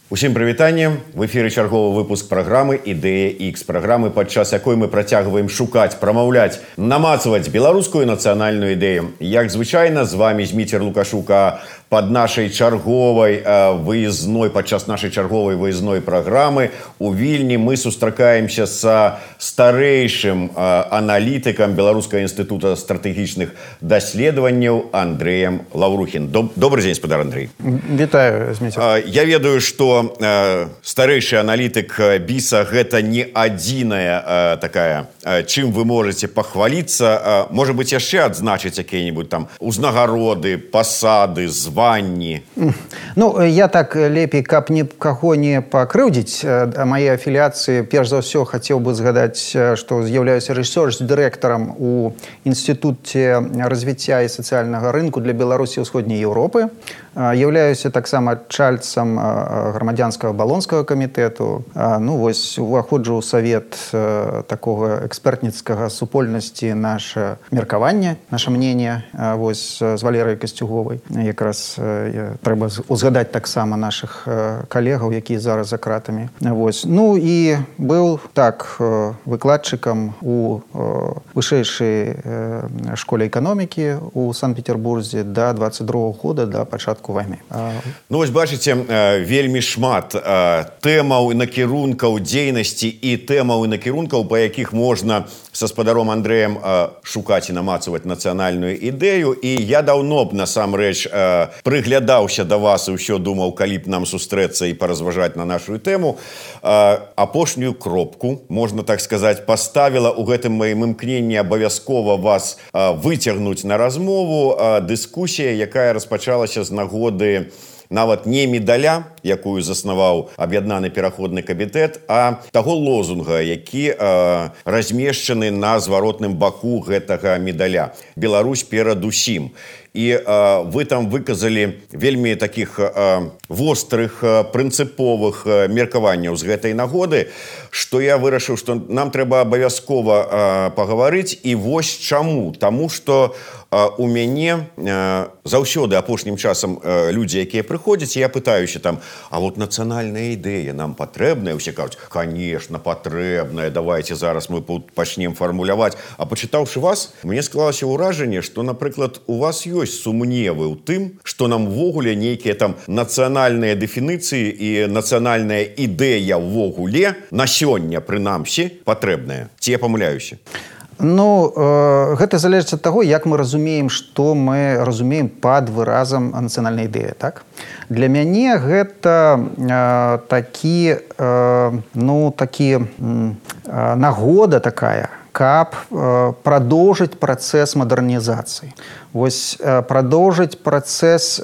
Усім прывітанне. В эфіры чарговы выпуск праграмы «Ідэя X», праграмы, падчас якой мы працягваем шукаць, прамаўляць, намацаваць беларускую нацыянальную ідэю. Як звычайна, з вами Зміцер Лукашука под нашай чарговай выездной, падчас нашай чарговай выездной праграмы у Вільні мы сустракаемся са старэйшым аналітыкам Беларускага інстытута стратэгічных даследаванняў Андрэем Лаўрухін. Добрый дзень, спадар Андрэй. Вітаю, Зміцер. Я ведаю, што старэйшы аналітык БІСа гэта не адзіная такая, чым вы можете пахваліцца. Можа быць, яшчэ адзначыць якія-небудзь там узнагароды, пасады, званні. Ну, я так лепей, каб нікаго не пакрыўдзіць мае афіліяцыі, перш за ўсё хацеў бы згадаць, што з'яўляюся рэсёрч-дырэктарам у Інстытуце развіцця і сацыяльнага рынку для Беларусі і ўсходняй Еўропы. Являюся таксама чальцам грамадзянскага балонскага камітэту. Ну, вось, уваходжу ў савет такога экспертніцкага супольнасці наше меркаванне, наше мнение, вось, з Валерыяй Касцюговай. Якраз трэба узгадаць таксама нашых калегаў, якія зараз за кратамі. Вось. Ну, і быў так выкладчыкам у вышэйшай школе эканомікі у Санкт-Петербурзе до 22-го года, до пачатку вайны. Ну, вось бачыце, вельмі шмат тэмаў і накірункаў дзейнасці і тэмаў і накірункаў, па якіх можна са спадаром Андрэем шукаць і намацаваць нацыянальную ідэю. І я даўно б, насамрэч, прыглядаўся да вас і ўсё думаў, калі б нам сустрэцца і паразважаць на нашу тэму. Апошнюю кропку, можна так сказаць, паставіла ў гэтым маім імкненні абавязкова вас выцягнуць на размову дыскусія, якая распачалася з нагоды нават не медаля, якую заснаваў аб'яднаны пераходны камітэт, а таго лозунга, які размешчаны на зваротным баку гэтага медаля. Беларусь перадусім. І вы там выказалі вельмі такіх вострых, прынцыповых меркаванняў з гэтай нагоды, што я вырашыў, што нам трэба абавязкова пагаварыць. І вось чаму. Таму што у мяне заўсёды апошнім часам людзі, якія прыходзяць, я пытаюся там, а вот нацыянальная ідэя нам патрэбная? Усе кажуць, конечно, патрэбная, давайте зараз мы пачнем фармуляваць. А пачытаўшы вас, мне склалася ўражанне, што, напрыклад, у вас ёсць сумневы ў тым, што нам ввогуле нейкія там нацыянальныя дэфініцыі і нацыянальная ідэя ввогуле на сёння, прынамсі, патрэбная. Ці я памыляюся? Ну, гэта залежыць ад таго, як мы разумеем, што мы разумеем пад выразам нацыянальнай ідэі, так? Для мяне гэта нагода такая, каб прадоўжыць працэс мадэрнізацыі. Вось прадоўжыць працэс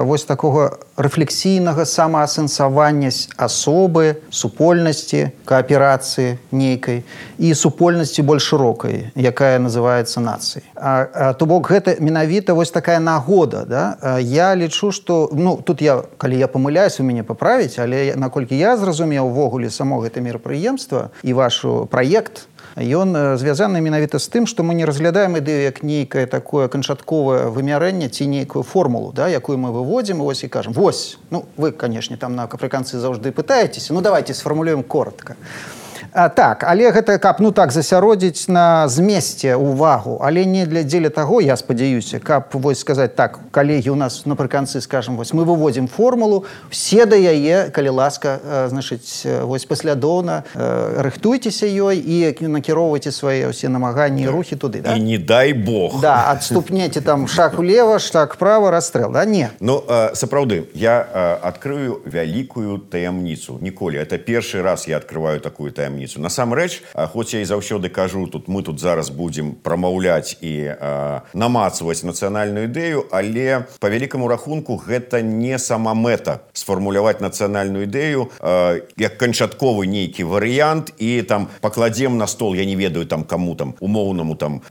вось такога рэфлексійнага самаасэнсавання асобы, супольнасці, кааперацыі нейкай і супольнасці больш шырокай, якая называецца нацыяй. То бок гэта менавіта вось такая нагода, да? Я лічу, што, ну, тут я, калі я памыляюсь, вы мяне паправіць, але наколькі я зразумеў увогуле само гэта мерапрыемства і ваш праект, ён звязаны менавіта з тым, што мы не разглядаем ідэю як нейкае такое канчатковае вымярэнне ці нейкую формулу, да, якую мы выводзім і кажам, вось, ну, вы, канешне, там на афрыканцы заўжды пытаецеся, ну, давайте сфармулюем коротка. Так, але гэта каб, ну так, засяродзіць на змесце ўвагу, але не дзеля таго, я спадзяюся, каб вось сказаць так, калегі, у нас напрыканцы, скажем, вось мы выводзім формулу, все да яе, калі ласка, значыць, вось паслядоўна рыхтуйцеся ёй і накіроўвайце свае ўсе намаганні і рухі туды, да? І не дай Бог. Да, адступнеце там шаг улева, шаг права, расстрэл, да? Не. Ну, сапраўды, я адкрыю вялікую таямніцу. Ніколі, это першы раз я адкрываю такую таямніцу. Насамрэч, хоць я і заўсёды кажу, мы тут зараз будзем прамаўляць і намацаваць нацыянальную ідэю, але па вялікаму рахунку гэта не сама мэта сфармуляваць нацыянальную ідэю як канчатковы нейкі варыянт і там пакладзем на стол, я не ведаю там каму там умоўнаму там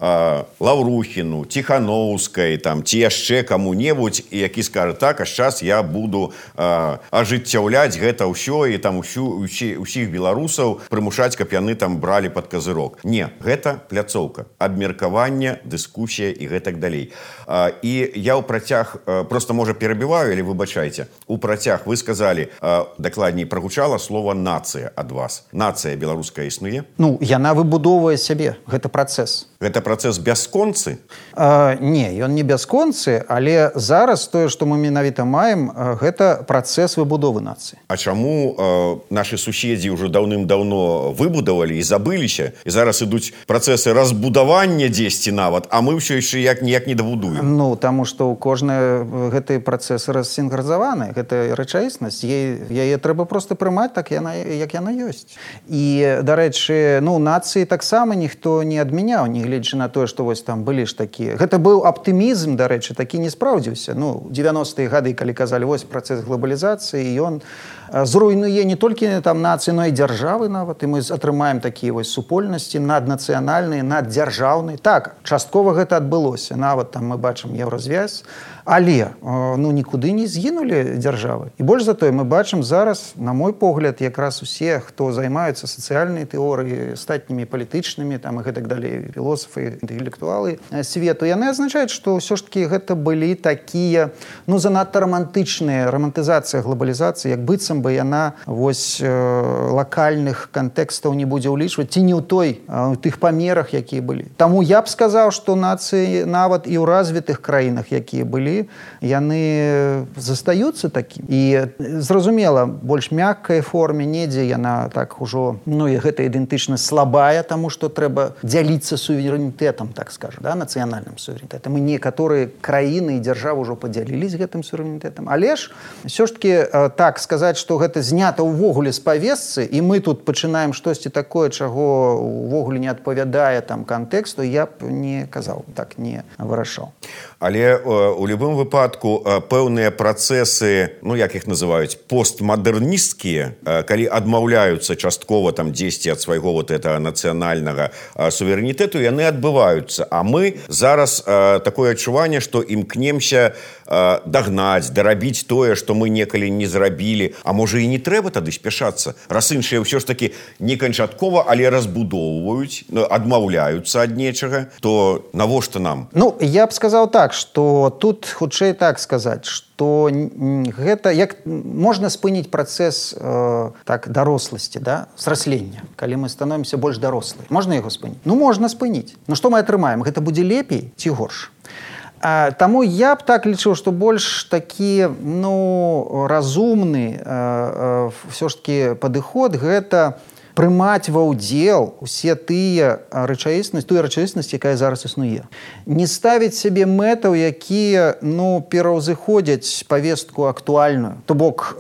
Лаўрухіну, Ціханоўскай там ці яшчэ каму-небудзь, які скажа так, а зараз я буду ажыццяўляць гэта ўсё і там усіх беларусаў прымушаць прымушаць, каб яны там бралі пад казырок. Не, гэта пляцоўка, абмеркаванне, дыскусія і гэтак далей. І я ў працяг, просто, можа, перабіваю, але выбачайце, у працяг вы сказалі, дакладней, прагучала слова «нацыя» ад вас. Нацыя беларуская існуе? Ну, яна выбудоўвае сябе, гэта працэс. Гэта працэс бясконцы? Не, ён не бясконцы, але зараз тое, што мы менавіта маем, гэта працэс выбудовы нацыі. А чаму нашы суседзі ўжо даўным-даўно выбудавалі і забыліся, і зараз ідуць працэсы разбудавання дзесьці нават, а мы ўсё яшчэ ніяк не дабудуем? Ну, таму што ў кожнай гэтыя працэсы рассінхразаваны, гэта рэчаіснасць, яе трэба проста прымаць так, як яна ёсць. І, дарэчы, ну, нацыі таксама ніхто не адмяняў, гледзячы на тое, што вось там былі ж такія. Гэта быў аптымізм, дарэчы, такі не спраўдзіўся. Ну, 90-е гады, калі казалі, вось працэс глобалізацыі, ён зруйнуе не толькі там нацыі, но і дзяржавы нават, і мы атрымаем такія вось супольнасці наднацыянальныя, наддзяржаўныя. Так, часткова гэта адбылося. Нават там мы бачым еўразвязь, але ну, нікуды не згінулі дзяржавы. І больш за тое, мы бачым зараз, на мой погляд, якраз усе, хто займаюцца сацыяльнай тэорыяй, астатнімі палітычнымі, там і гэтак далей, філосафы, інтэлектуалы свету, яны азначаюць, што ўсё ж такі гэта былі такія, ну, занадта рамантычныя, рамантызацыя глобалізацыі, як быццам бы яна вось лакальных кантэкстаў не будзе ўлічваць, ці не ў тых памерах, якія былі. Таму я б сказаў, што нацыі нават і ў развітых краінах, якія былі, яны застаюцца такім. І зразумела, больш мяккай форме, недзе яна так ужо, ну, і гэта ідэнтычнасць слабая, таму што трэба дзяліцца суверэнітэтам, так скажу, да, нацыянальным суверэнітэтам. І некаторыя краіны і дзяржавы ўжо падзялілись гэтым суверэнітэтам. Але ж, ўсё ж такі, так сказаць, што гэта знята ўвогуле з павесцы, і мы тут пачынаем штосьці такое, чаго ўвогуле не адпавядае там кантэксту, я б не казаў, так не вырашаў. Але у любым выпадку пэўныя працэсы, ну, як іх называюць, постмадэрнісцкія, калі адмаўляюцца часткова там дзесьці ад свайго вот этого нацыянальнага суверэнітэту, яны адбываюцца. А мы зараз такое адчуванне, што імкнемся дагнаць, дарабіць тое, што мы некалі не зрабілі. А можа і не трэба тады спяшацца, раз іншыя ўсё ж такі не канчаткова, але разбудоўваюць, адмаўляюцца ад нечага, то навошта нам? Ну, я б сказаў так, што тут хутчэй так сказаць, што гэта як можна спыніць працэс так даросласці, да, сраслення, калі мы становімся больш дарослыя. Можна яго спыніць? Ну, можна спыніць. Ну, што мы атрымаем? Гэта будзе лепей ці горш? Таму я б так лічыў, што больш такі, ну, разумны ўсё ж такі падыход гэта прымаць ва ўдзел усе тыя рэчаіснасць, якая зараз існуе. Не ставіць сябе мэтаў, якія, ну, пераўзыходзяць павестку актуальную. То бок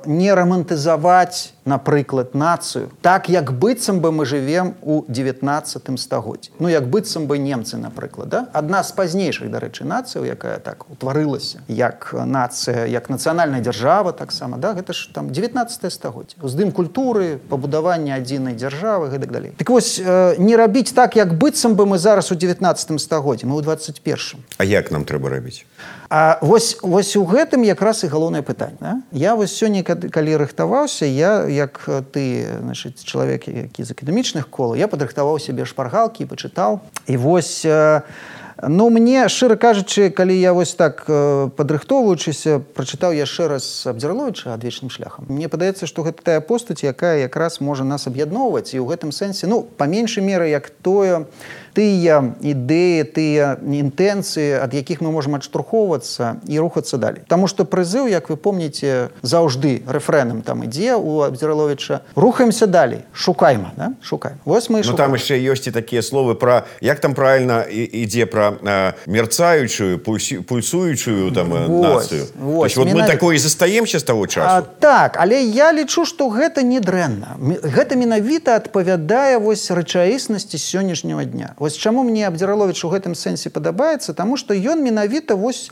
не рамантызаваць, напрыклад, нацыю так, як быццам бы мы жывем у 19 стагоддзі. Ну, як быццам бы немцы, напрыклад, да? Адна з пазнейшых, дарэчы, нацыяў, якая так утварылася, як нацыя, як нацыянальная дзяржава таксама, да? Гэта ж там 19 стагоддзе. Уздым культуры, пабудаванне адзінай дзяржавы, гэтак далей. Так вось, не рабіць так, як быццам бы мы зараз у 19 стагоддзі, мы ў 21. А як нам трэба рабіць? А вось у гэтым якраз і галоўнае пытанне. Да? Я вось сёння, калі рыхтаваўся, я, як ты, значыць, чалавек, які з акадэмічных колаў, я падрыхтаваў сябе шпаргалкі, пачытаў. І вось, ну, мне, шчыра кажучы, калі я вось так падрыхтоўваючыся, прачытаў яшчэ раз Абдзіраловіча «Адвечным шляхам», мне падаецца, што гэта тая постаць, якая якраз можа нас аб'ядноўваць. І ў гэтым сэнсе, ну, па меншай меры, як тыя ідэі, тыя інтэнцыі, ад якіх мы можам адштурхоўвацца і рухацца далей. Таму што прызыў, як вы помніце, заўжды рэфрэнам там ідзе у Абдзіраловіча. Рухаемся далей, шукайма, да? Шукаем. Вось мы і шукаем. Ну, там яшчэ ёсць і такія словы пра, як там правільна ідзе пра мерцаючую, пульсуючую там нацыю. Вось, вот мы такое і застаемся з таго часу. Так, але я лічу, што гэта не дрэнна. Гэта менавіта адпавядае вось рэчаіснасці сённяшняга дня. Вось чаму мне Абдзіраловіч у гэтым сэнсе падабаецца, таму што ён менавіта вось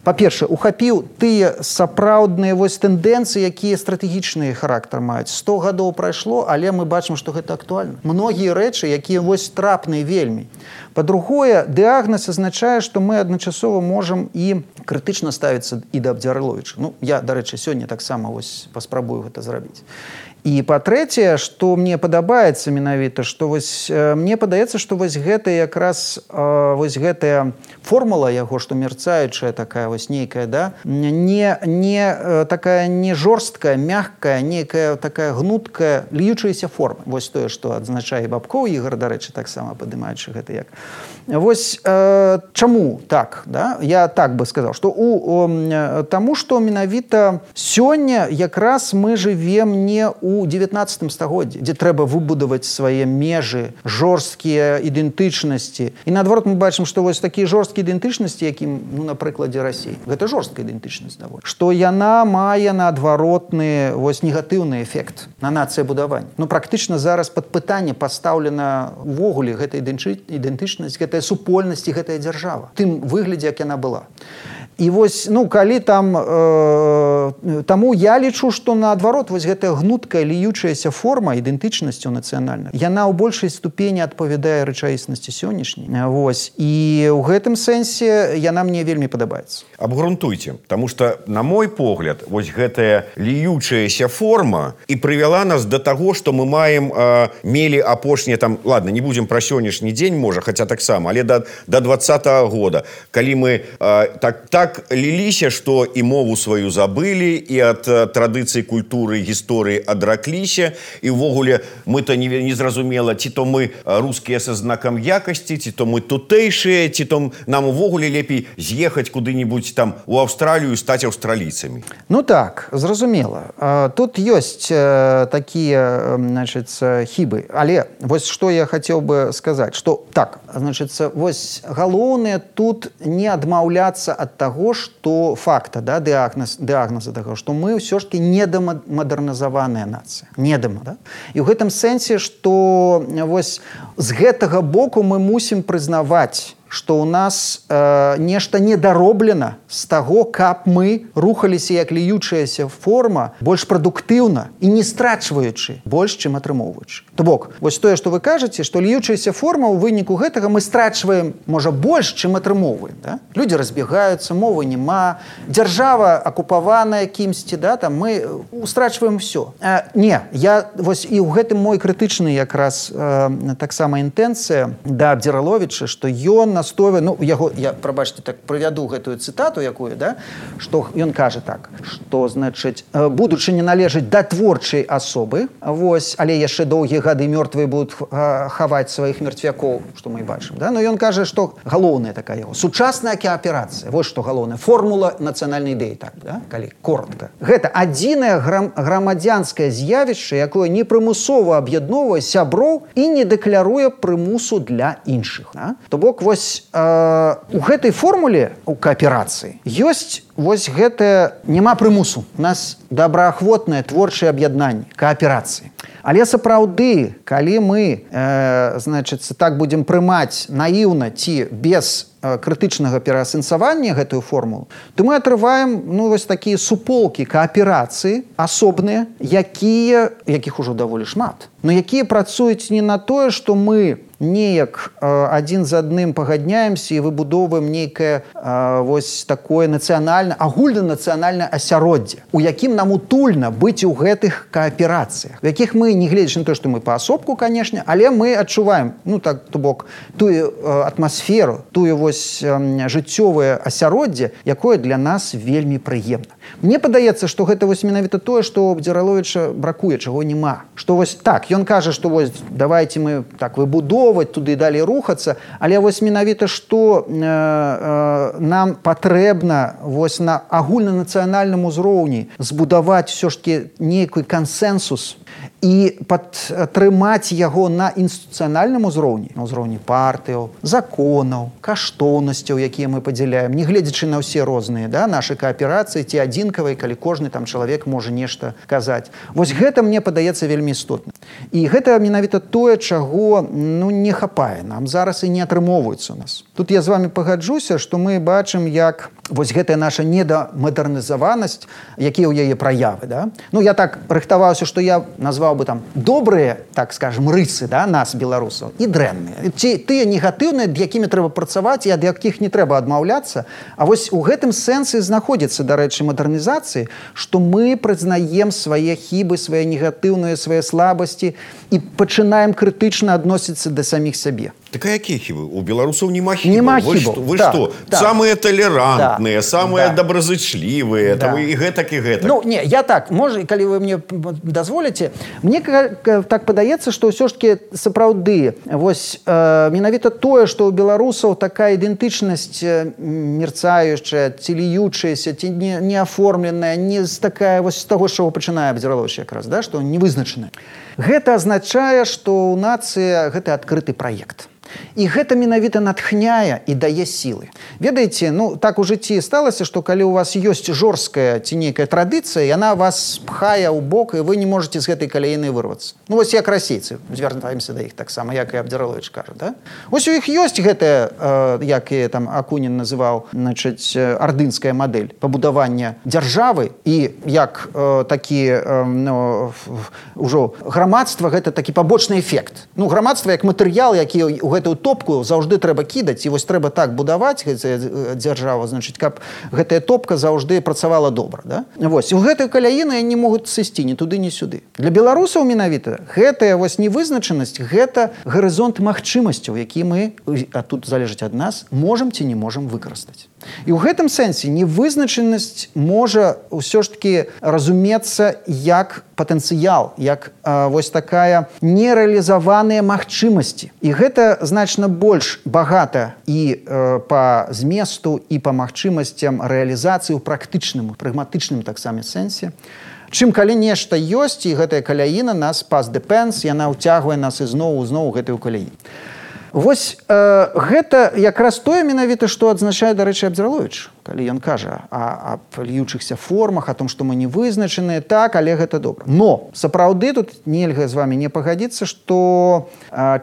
па-першае, ухапіў тыя сапраўдныя тэндэнцыі, якія стратэгічныя характар маюць. 100 гадоў прайшло, але мы бачым, што гэта актуальна. Многія рэчы, якія трапныя вельмі. Па-другое, дыягназ азначае, што мы адначасова можам і крытычна ставіцца і да Абдзярыловіча. Я, дарэчы, сёння таксама паспрабую гэта зрабіць. І па-трэцяе, што мне падабаецца менавіта, што мне падаецца, што гэта якраз гэтая формула яго, што мерцаючая такая нейкая, да, не такая не жорсткая, мягкая, нейкая такая гнуткая, льючаяся форма. Тое, што адзначае Бабкоў Ігар, дарэчы, таксама падымаючы гэта як. Чаму так, да? Я так бы сказаў, што таму, што менавіта сёння якраз мы жывем не у 19 стагоддзі, дзе трэба выбудаваць свае межы, жорсткія ідэнтычнасці. І наадварот мы бачым, што такія жорсткія ідэнтычнасці, якім, на прыкладзе Расіі, гэта жорсткая ідэнтычнасць даволі, што яна мае наадваротны негатыўны эфект на нацыябудаванне. Практычна зараз пад пытанне пастаўлена ўвогуле гэта ідэнтычнасць, гэтая супольнасць і гэтая дзяржава. Тым выглядзе, як яна была. І калі таму я лічу, што наадварот гэтая гнуткая льючаяся форма ідэнтычнасцю нацыянальнай, яна ў большай ступені адпавядае рэчаіснасці сённяшняй. І ў гэтым сэнсе яна мне вельмі падабаецца. Абгрунтуйце, таму што, на мой погляд, гэтая льючаяся форма і прывяла нас да таго, што мы мелі апошнія, ладно, не будзем пра сённяшні дзень, можа, хаця таксама, але да 20-го года, калі мы так ліліся, што і мову сваю забылі, і ад традыцый культуры, гісторыі адракліся, і ўвогуле мы-то не зразумела, ці то мы рускія са знакам якасці, ці то мы тутэйшыя, ці то нам увогуле лепей з'ехаць куды-небудзь у Аўстралію і стаць аўстралійцамі. Так, зразумела. Тут ёсць такія, хібы. Але што я хацеў бы сказаць, што так, галоўнае тут не адмаўляцца ад таго, што факта, да, дыягназа таго, што мы ўсё ж таки недамадэрнізаваная нацыя. Да? І ў гэтым сэнсе, што з гэтага боку мы мусім прызнаваць, што ў нас нешта недароблена з таго, каб мы рухаліся як льючаяся форма больш прадуктыўна і не страчваючы больш, чым атрымоўваючы. То бок, тое, што вы кажаце, што льючаяся форма ў выніку гэтага мы страчваем, можа, больш, чым атрымоўваем. Да? Людзі разбегаюцца, мовы няма, дзяржава акупаваная кімсьці, да, мы страчваем ўсё. Не, і ў гэтым мой крытычны якраз таксама інтэнцыя да Абдзіраловіча, што ён настойвае, я, прабачце, так прывяду гэтую цытату якую, да, што ён кажа так, што, будучыня належыць да творчай асобы, але яшчэ доўгія гады мёртвыя будуць хаваць сваіх мертвякоў, што мы бачым, да, но ён кажа, што галоўная такая яго сучасная кааперацыя, што галоўная формула нацыянальнай ідэі, так, да, калі коротка. Гэта адзінае грамадзянскае з'явішча, якое непрымусова аб'ядноўвае сяброў і не дэкляруе прымусу для іншых. Да? То бок, у гэтай формуле у кааперацыі ёсць гэтае няма прымусу. У нас добраахвотнае творчае аб'яднанне, кааперацыі. Але сапраўды, калі мы так будзем прымаць наіўна ці без крытычнага пераасэнсавання гэтую формулу, то мы атрываем такія суполкі кааперацыі асобныя, якіх ужо даволі шмат, но якія працуюць не на тое, што мы неяк адзін з адным пагадняемся і выбудоўваем нейкае такое нацыянальнае, агульнанацыянальнае асяроддзе, у якім нам утульна быць у гэтых кааперацыях, у якіх мы, не гледзячы на то, што мы паасобку, канешне, але мы адчуваем, то бок, тую атмасферу, тую жыццёвае асяроддзе, якое для нас вельмі прыемна. Мне падаецца, што гэта менавіта тое, што у Абдзіраловіча бракуе, чаго няма. Што так, ён кажа, што давайте мы так выбудоўваць, туды далей рухацца, але менавіта што нам патрэбна на агульнанацыянальным узроўні збудаваць усё ж такі нейкі кансэнсус і падтрымаць яго на інстытуцыянальным узроўні, на ўзроўні партыяў, законаў, каштоўнасцяў, якія мы падзяляем, не гледзячы на ўсе розныя, да, нашы кааперацыі ці адзінкавыя, калі кожны там чалавек можа нешта казаць. Вось гэта мне падаецца вельмі істотна. І гэта менавіта тое, чаго не хапае. Нам зараз і не атрымоўваецца у нас. Тут я з вами пагаджуся, што мы бачым, як вось гэтая наша недамадэрнізаванасць, якія ў яе праявы. Да? Я так рыхтаваўся, што я назваў бы там добрыя, так скажем, рысы, да, нас, беларусаў, і дрэнныя. Ці тыя негатыўныя, ад якімі трэба працаваць і ад якіх не трэба адмаўляцца. А вось у гэтым сэнсе знаходзіцца, дарэчы, мадэрнізацыі, што мы прызнаем свае хібы, свае негатыўныя, свае слабасці і пачынаем крытычна адносіцца да саміх сябе. Так а якія хібы? У беларусаў няма хібаў. Нема хібаў. Вы што? Самыя толерантныя, самыя добразычлівыя, і гэтак, і гэтак. Не, я так, можа, калі вы мне дазволіце, мне так падаецца, што ўсё ж такі сапраўды, вось менавіта тое, што ў беларусаў такая ідэнтычнасць мерцаючая, ці ліючаяся, ці неаформленая, не з такая вось з таго, з чаго пачынае Абдзіраловіч якраз, да, што невызначаная. Гэта азначае, што ў нацыі гэта адкрыты праект. І гэта менавіта натхняе і дае сілы. Ведаеце, так у жыцці сталася, што калі у вас ёсць жорсткая ці нейкая традыцыя, яна вас пхае ў бок, і вы не можаце з гэтай каляіны вырвацца. Вось як расейцы, звяртаемся да іх таксама, як і Абдзіраловіч кажа, да? Вось у іх ёсць гэтая, як і там Акунін называў, значыць, ардынская мадэль пабудавання дзяржавы, і як такі, ўжо грамадства, гэта такі пабочны эфект. Грамадства як матэрыял, які у гэтую топку заўжды трэба кідаць, і вось трэба так будаваць дзяржаву, значыць, каб гэтая топка заўжды працавала добра. Да? Вось, у гэтую каляіну не могуць сысці ні туды, ні сюды. Для беларусаў менавіта гэтая вось невызначанасць, гэта гарызонт магчымасцяў, які мы, а тут залежыць ад нас, можам ці не можам выкарыстаць. І ў гэтым сэнсе невызначанасць можа ўсё ж такі разумецца як патэнцыял, як вось такая нерэалізаваныя магчымасці. І гэта значна больш багата і па зместу, і па магчымасцям рэалізацыі ў практычным, прагматычным таксама сэнсе, чым калі нешта ёсць, і гэтая каляіна нас past depends, яна ўцягвае нас ізноў гэтую каляіну. Вось гэта якраз тое менавіта, што адзначае, дарэчы, Абдзіраловіч, калі ён кажа аб льючыхся формах, о том, што мы не вызначаныя, так, але гэта добра. Но сапраўды тут нельга з вами не пагадзіцца, што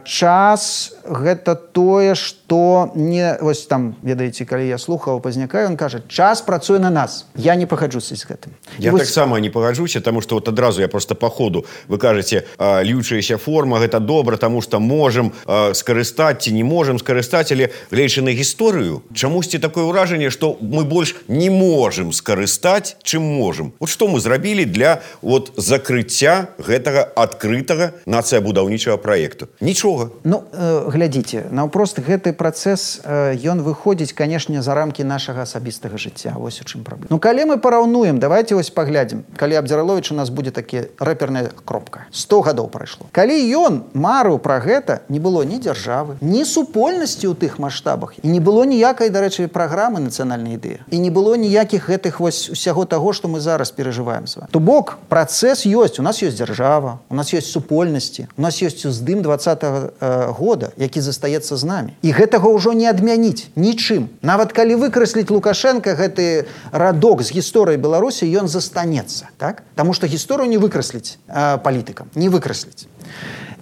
час гэта тое, што не... Вось там, ведаеце, калі я слухаў Пазняка, ён кажа, час працуе на нас. Я не пагаджуся з гэтым. Я таксама не пагаджуся, таму што вот адразу я просто па ходу, вы кажаце, льючаяся форма, гэта добра, таму што можам скарыстаць ці не можам скарыстаць, але гледзячы на гісторыю, чамусьці такое ўражанне, што мы больш не можам скарыстаць, чым можам. Вот што мы зрабілі для вот закрыцця гэтага адкрытага нацыябудаўнічага праекту? Нічога. Глядзіце, наўпрост гэты працэс, ён выходзіць, канешне, за рамкі нашага асабістага жыцця. Вось у чым праблема. Калі мы параўнуем, давайте вось паглядзім, калі Абдзіраловіч у нас будзе такі рэперная кропка. 100 гадоў прайшло. Калі ён марыў пра гэта, не было ні дзяржавы, ні супольнасці ў тых маштабах, і не было ніякай, дарэчы, праграмы нацыянальнай ідэі. І не было ніякіх гэтых вось усяго таго, што мы зараз перажываем з вами. То бок, працэс ёсць. У нас ёсць дзяржава, у нас ёсць супольнасці, у нас ёсць уздым 20-го года, які застаецца з намі. І гэтага ўжо не адмяніць нічым. Нават калі выкрасліць Лукашенка гэты радок з гісторыі Беларусі, ён застанецца. Так? Таму што гісторыю не выкрасліць палітыкам, не выкрасліць.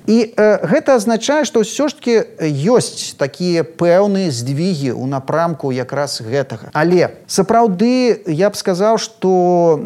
І гэта азначае, што ўсё ж такі ёсць такія пэўныя здвігі ў напрамку якраз гэтага. Але сапраўды я б сказаў, што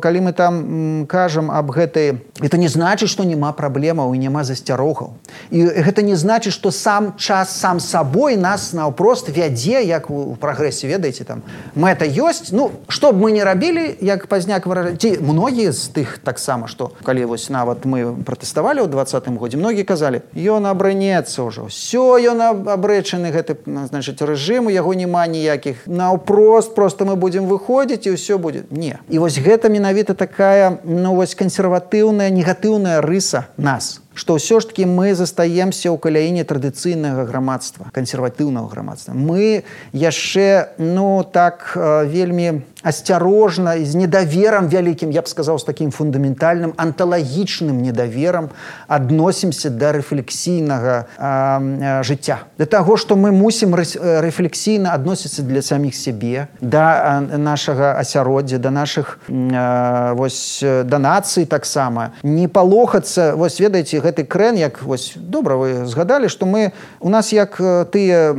калі мы там кажам аб гэтай, гэта не значыць, што няма праблемаў і няма засцярогаў. І гэта не значыць, што сам час сам сабой нас наўпрост вядзе, як у прагрэсе, ведаеце, там мэта ёсць. Што б мы не рабілі, як Пазняк выражае, ці многія з тых таксама, што калі вось нават мы пратэставалі ў 20 годзе, многія казалі, ён абрынецца ўжо, ўсё, ён абрэчаны гэты, значыць, рэжым, у яго няма ніякіх, наўпрост, просто мы будзем выходзіць і ўсё будзе. Не. І вось гэта менавіта такая, вось кансерватыўная, негатыўная рыса нас. што ўсё ж таки мы застаемся ў каляіне традыцыйнага грамадства, кансерватыўнага грамадства. Мы яшчэ, вельмі асцярожна і з недаверам вялікім, я б сказаў, з такім фундаментальным анталагічным недаверам адносімся да рэфлексійнага жыцця. Да таго, што мы мусім рэфлексійна адносіцца для саміх сябе, да нашага асяроддзя, да нашых да нацыі таксама. Не палохацца, ведаеце, гэты крэн, як добра вы згадалі, што у нас як тыя,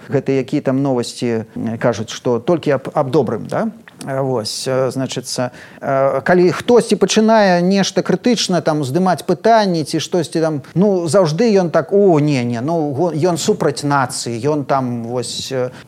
гэтыя якія там новасці кажуць, што толькі аб добрым, да? Значыцца, калі хтосьці пачынае нешта крытычна там здымаць пытанні ці штосьці там, заўжды ён так, ён супраць нацыі, ён там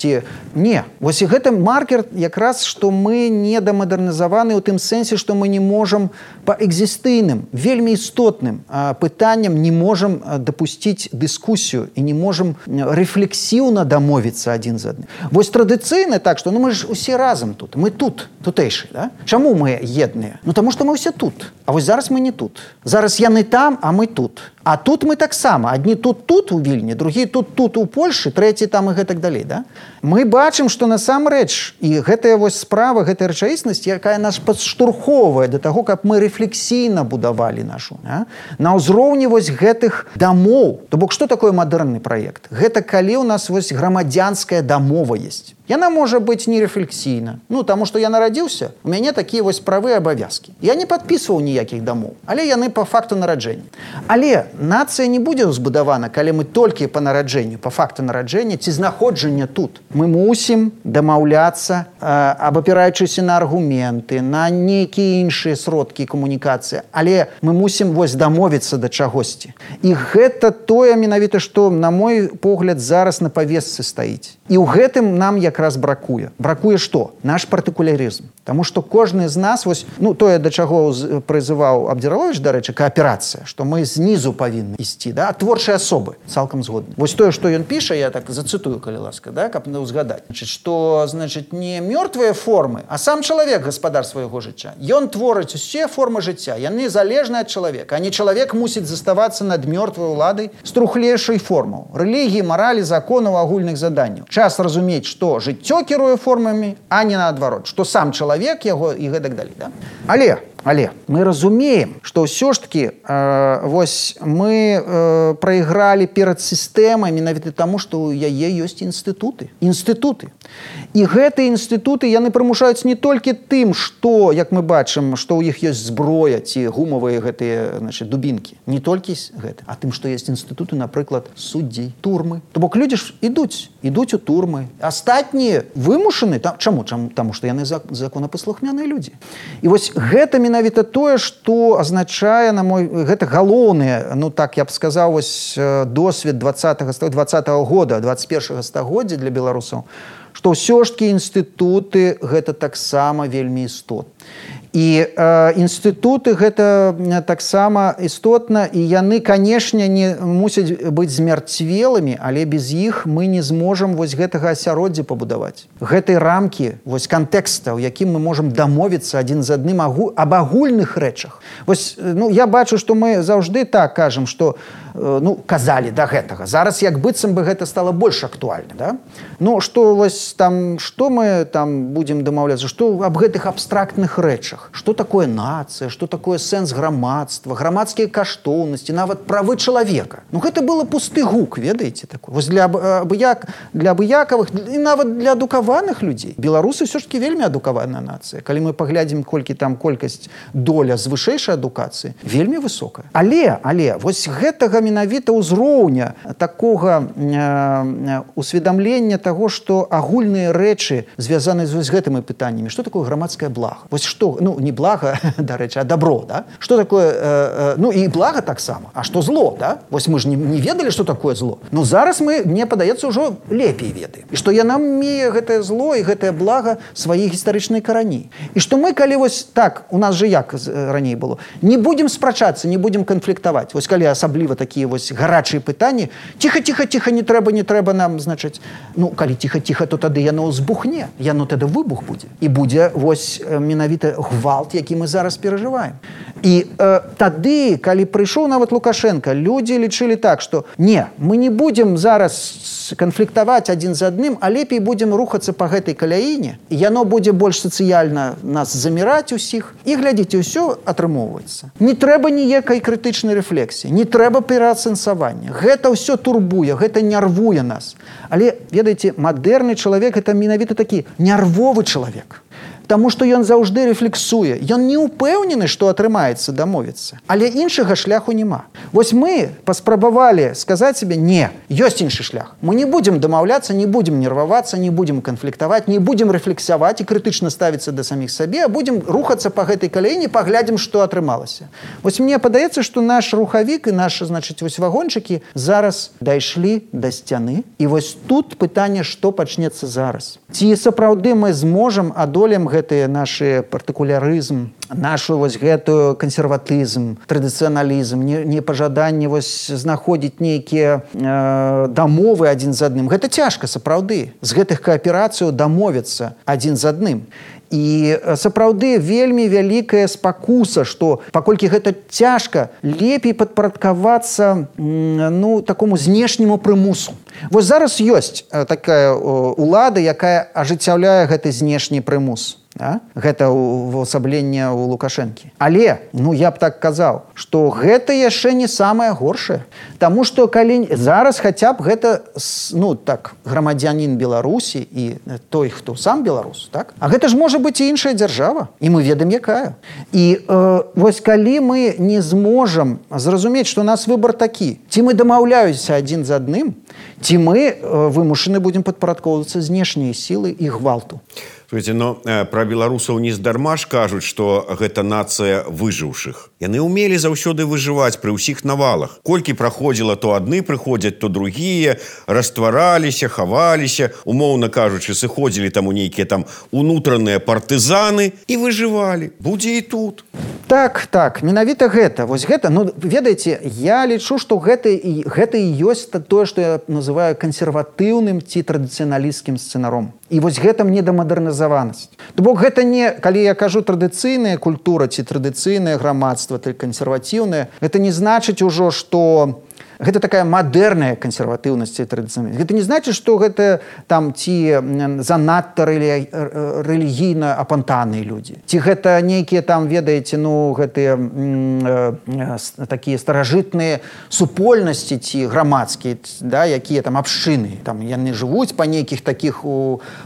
ці не. І гэта маркер якраз, што мы недамадэрнізаваны ў тым сэнсе, што мы не можам па экзістыйным, вельмі істотным пытанням не можам дапусціць дыскусію і не можам рэфлексіўна дамовіцца адзін з адным. Традыцыйна так, што мы ж усе разам тут, мы тутэйшы, да? Чаму мы едныя? Таму што мы ўсе тут. А зараз мы не тут. Зараз яны там, а мы тут. А тут мы таксама. Адні тут у Вільні, другі тут у Польшы, трэці там і гэтак далей, да? Мы бачым, што насамрэч і гэтая справа, гэтая рэчаіснасць, якая нас падштурхоўвае да таго, каб мы рэфлексійна будавалі нашу, на ўзроўні гэтых дамоў. То бок, што такое мадэрнны праект? Гэта калі ў нас грамадзянская дамова ёсць. Яна можа быць нерэфлексійна. Таму што я нарадзіўся, у мяне такія правы і абавязкі. Я не падпісваў ніякіх дамоў, але яны па факту нараджэння. Але нацыя не будзе збудавана, калі мы толькі па нараджэнню, па факту нараджэння ці знаходжання тут. Мы мусім дамаўляцца, абапіраючыся на аргументы, на нейкія іншыя сродкі камунікацыі, але мы мусім дамовіцца да чагосьці. І гэта тое менавіта, што, на мой погляд, зараз на павестцы стаіць. І ў гэтым нам якраз бракуе. Бракуе што? Наш партыкулярызм. Таму што кожны з нас, тое, да чаго прызываў Абдзіраловіч, дарэчы, кааперацыя, што мы знізу павінны ісці, да? Творчыя асобы, цалкам згодны. Тое, што ён піша, я так зацытую, калі ласка, да? Каб узгадаць. Што, не мёртвыя формы, а сам чалавек гаспадар свайго жыцця. Ён творыць усе формы жыцця, яны залежныя ад чалавека, а не чалавек мусіць заставацца над мёртвай уладай з трухлейшай формаў. Рэлігіі, маралі, законаў, агульных заданняў. Час разумець, што жыццё кіруе формамі, а не наадварот, што сам чалавек яго і гэтак далей. Да? Але мы разумеем, што ўсё ж такі мы прайгралі перад сістэмай менавіта таму, што ў яе ёсць інстытуты. І гэтыя інстытуты, яны прымушаюць не толькі тым, што, як мы бачым, што ў іх ёсць зброя ці гумавыя гэтыя дубінкі. Не толькі гэта, а тым, што ёсць інстытуты, напрыклад, суддзей, турмы. То бок людзі ж ідуць у турмы. Астатнія вымушаны. Чаму? Таму што яны законапаслухмяныя людзі. І гэта менавіта тое, што азначае, гэта галоўны, так я б сказаў, досвед 20-го года, 21-го стагоддзя для беларусаў, што ўсё ж такі інстытуты гэта таксама вельмі істотна. І інстытуты гэта таксама істотна, і яны, канешне, не мусяць быць змярцвелымі, але без іх мы не зможам гэтага асяроддзя пабудаваць. Гэтай рамкі, кантэкста, у якім мы можам дамовіцца адзін з адным аб агульных рэчах. Я бачу, што мы заўжды так кажам, што казалі да гэтага. Зараз як быццам бы гэта стала больш актуальна, да? Што мы там будзем дамаўляцца, што аб гэтых абстрактных рэчах. Што такое нацыя, што такое сэнс грамадства, грамадскія каштоўнасці, нават правы чалавека. Гэта было пусты гук, ведаеце, такой. Для абыякавых і нават для адукаваных людзей. Беларусы ўсё ж такі вельмі адукаваная нацыя. Калі мы паглядзім, колькі там колькасць доля з вышэйшай адукацыі, вельмі высокая. Але гэтага менавіта ўзроўня такога усведамлення таго, што агульныя рэчы звязаны з гэтымі пытаннямі. Што такое грамадскае блага? Не блага, дарэчы, а добро, да? Што такое, і блага таксама. А што зло, да? Мы ж не ведалі, што такое зло. Зараз мне падаецца, ўжо лепей ведаем. І што яна мее гэтае зло і гэтае блага свае гістарычныя карані. І што мы, калі так, у нас же як раней было, не будзем спрачацца, не будзем канфліктаваць. Калі асабліва такія гарачыя пытанні, ціха, не трэба нам, калі ціха, то тады яно ўзбухне, яно тады выбух будзе. І будзе менавіта гвалт, які мы зараз перажываем. І тады, калі прыйшоў нават Лукашенко, людзі лічылі так, што не, мы не будзем зараз канфліктаваць адзін з адным, а лепей будзем рухацца па гэтай каляіне, і яно будзе больш сацыяльна нас заміраць усіх. І глядзіце, ўсё атрымоўваецца. Не трэба ніякай крытычнай рэфлексіі, не трэба пераацэнсавання. Гэта ўсё турбуе, гэта нервуе нас. Але, ведаеце, мадэрны чалавек – гэта менавіта такі нервовы чалавек. Таму што ён заўжды рэфлексуе. Ён не ўпэўнены, што атрымаецца дамовіцца. Але іншага шляху няма. Вось мы паспрабавалі сказаць сабе, не, ёсць іншы шлях. Мы не будзем дамаўляцца, не будзем нервавацца, не будзем канфліктаваць, не будзем рэфлексаваць і крытычна ставіцца да саміх сабе, а будзем рухацца па гэтай каляіне, паглядзім, што атрымалася. Вось мне падаецца, што наш рухавік і нашы, значыць, вось вагончыкі зараз дайшлі да сцяны. І вось тут пытанне, што пачнецца зараз. Ці сапраўды мы зможам адолем гэтыя нашы партыкулярызм, нашу вось гэтую кансерватызм, традыцыяналізм, непажаданне вось знаходзіць нейкія дамовы адзін з адным. Гэта цяжка, сапраўды. З гэтых кааперацыяў дамовіцца адзін з адным. І сапраўды вельмі вялікая спакуса, што паколькі гэта цяжка, лепей падпарадкавацца такому знешняму прымусу. Вось зараз ёсць такая ўлада, якая ажыццяўляе гэты знешні прымус. Гэта ўвасабленне ў Лукашэнкі. Але, я б так казаў, што гэта яшчэ не самае горшае. Таму што калі зараз хаця б гэта, грамадзянін Беларусі і той, хто сам беларус, так? А гэта ж можа быць і іншая дзяржава. І мы ведаем, якая. І вось калі мы не зможам зразумець, што у нас выбар такі, ці мы дамаўляемся адзін з адным, ці мы вымушаны будзем падпарадкоўвацца знешнія сілы і гвалту. Слушайте, но пра беларусаў нездарма ж кажуць, што гэта нацыя выжыўшых. Яны ўмелі заўсёды выжываць пры ўсіх навалах. Колькі праходзіла, то адны прыходзяць, то другія, раствараліся, хаваліся, умоўна кажучы, сыходзілі там у нейкія там унутраныя партызаны і выжывалі. Будзе і тут. Так, менавіта гэта. Вось гэта, ведаеце, я лічу, што гэта і ёсць тое, што я называю кансерватыўным ці традыцыяналісцкім сцэнаром. І вось гэта мне да мадэрнізаванасць. То бок гэта не, калі я кажу традыцыйная культура ці традыцыйнае грамадства, ці кансерватыўнае, гэта не значыць ужо, што гэта такая мадэрная кансерватыўнасць і традыцыйнасць. Гэта не значыць, што гэта там ці занадта рэлігійна апантаныя людзі. Ці гэта нейкія там, ведаеце, гэтыя такія старажытныя супольнасці ці грамадскія, якія там абшчыны. Там яны жывуць па нейкіх такіх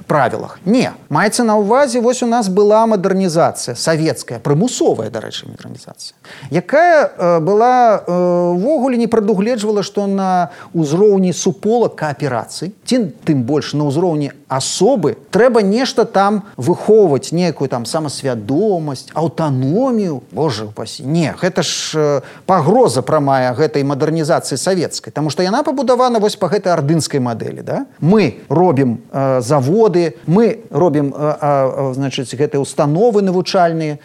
правілах. Не. Маецца на ўвазе, вось у нас была мадэрнізацыя, савецкая, прымусовая, дарэчы, мадэрнізацыя, якая была ўвогуле не прадугледжвала, што на ўзроўні супола кааперацыі, ці тым больш на ўзроўні асобы, трэба нешта там выхоўваць, нейкую там самасвядомасць, аўтаномію. Боже упасі. Не, гэта ж пагроза прамая гэтай мадэрнізацыі савецкай, таму што яна пабудавана вось па гэтай ардынскай мадэлі. Мы робім заводы, мы робім, гэтыя установы навучальныя,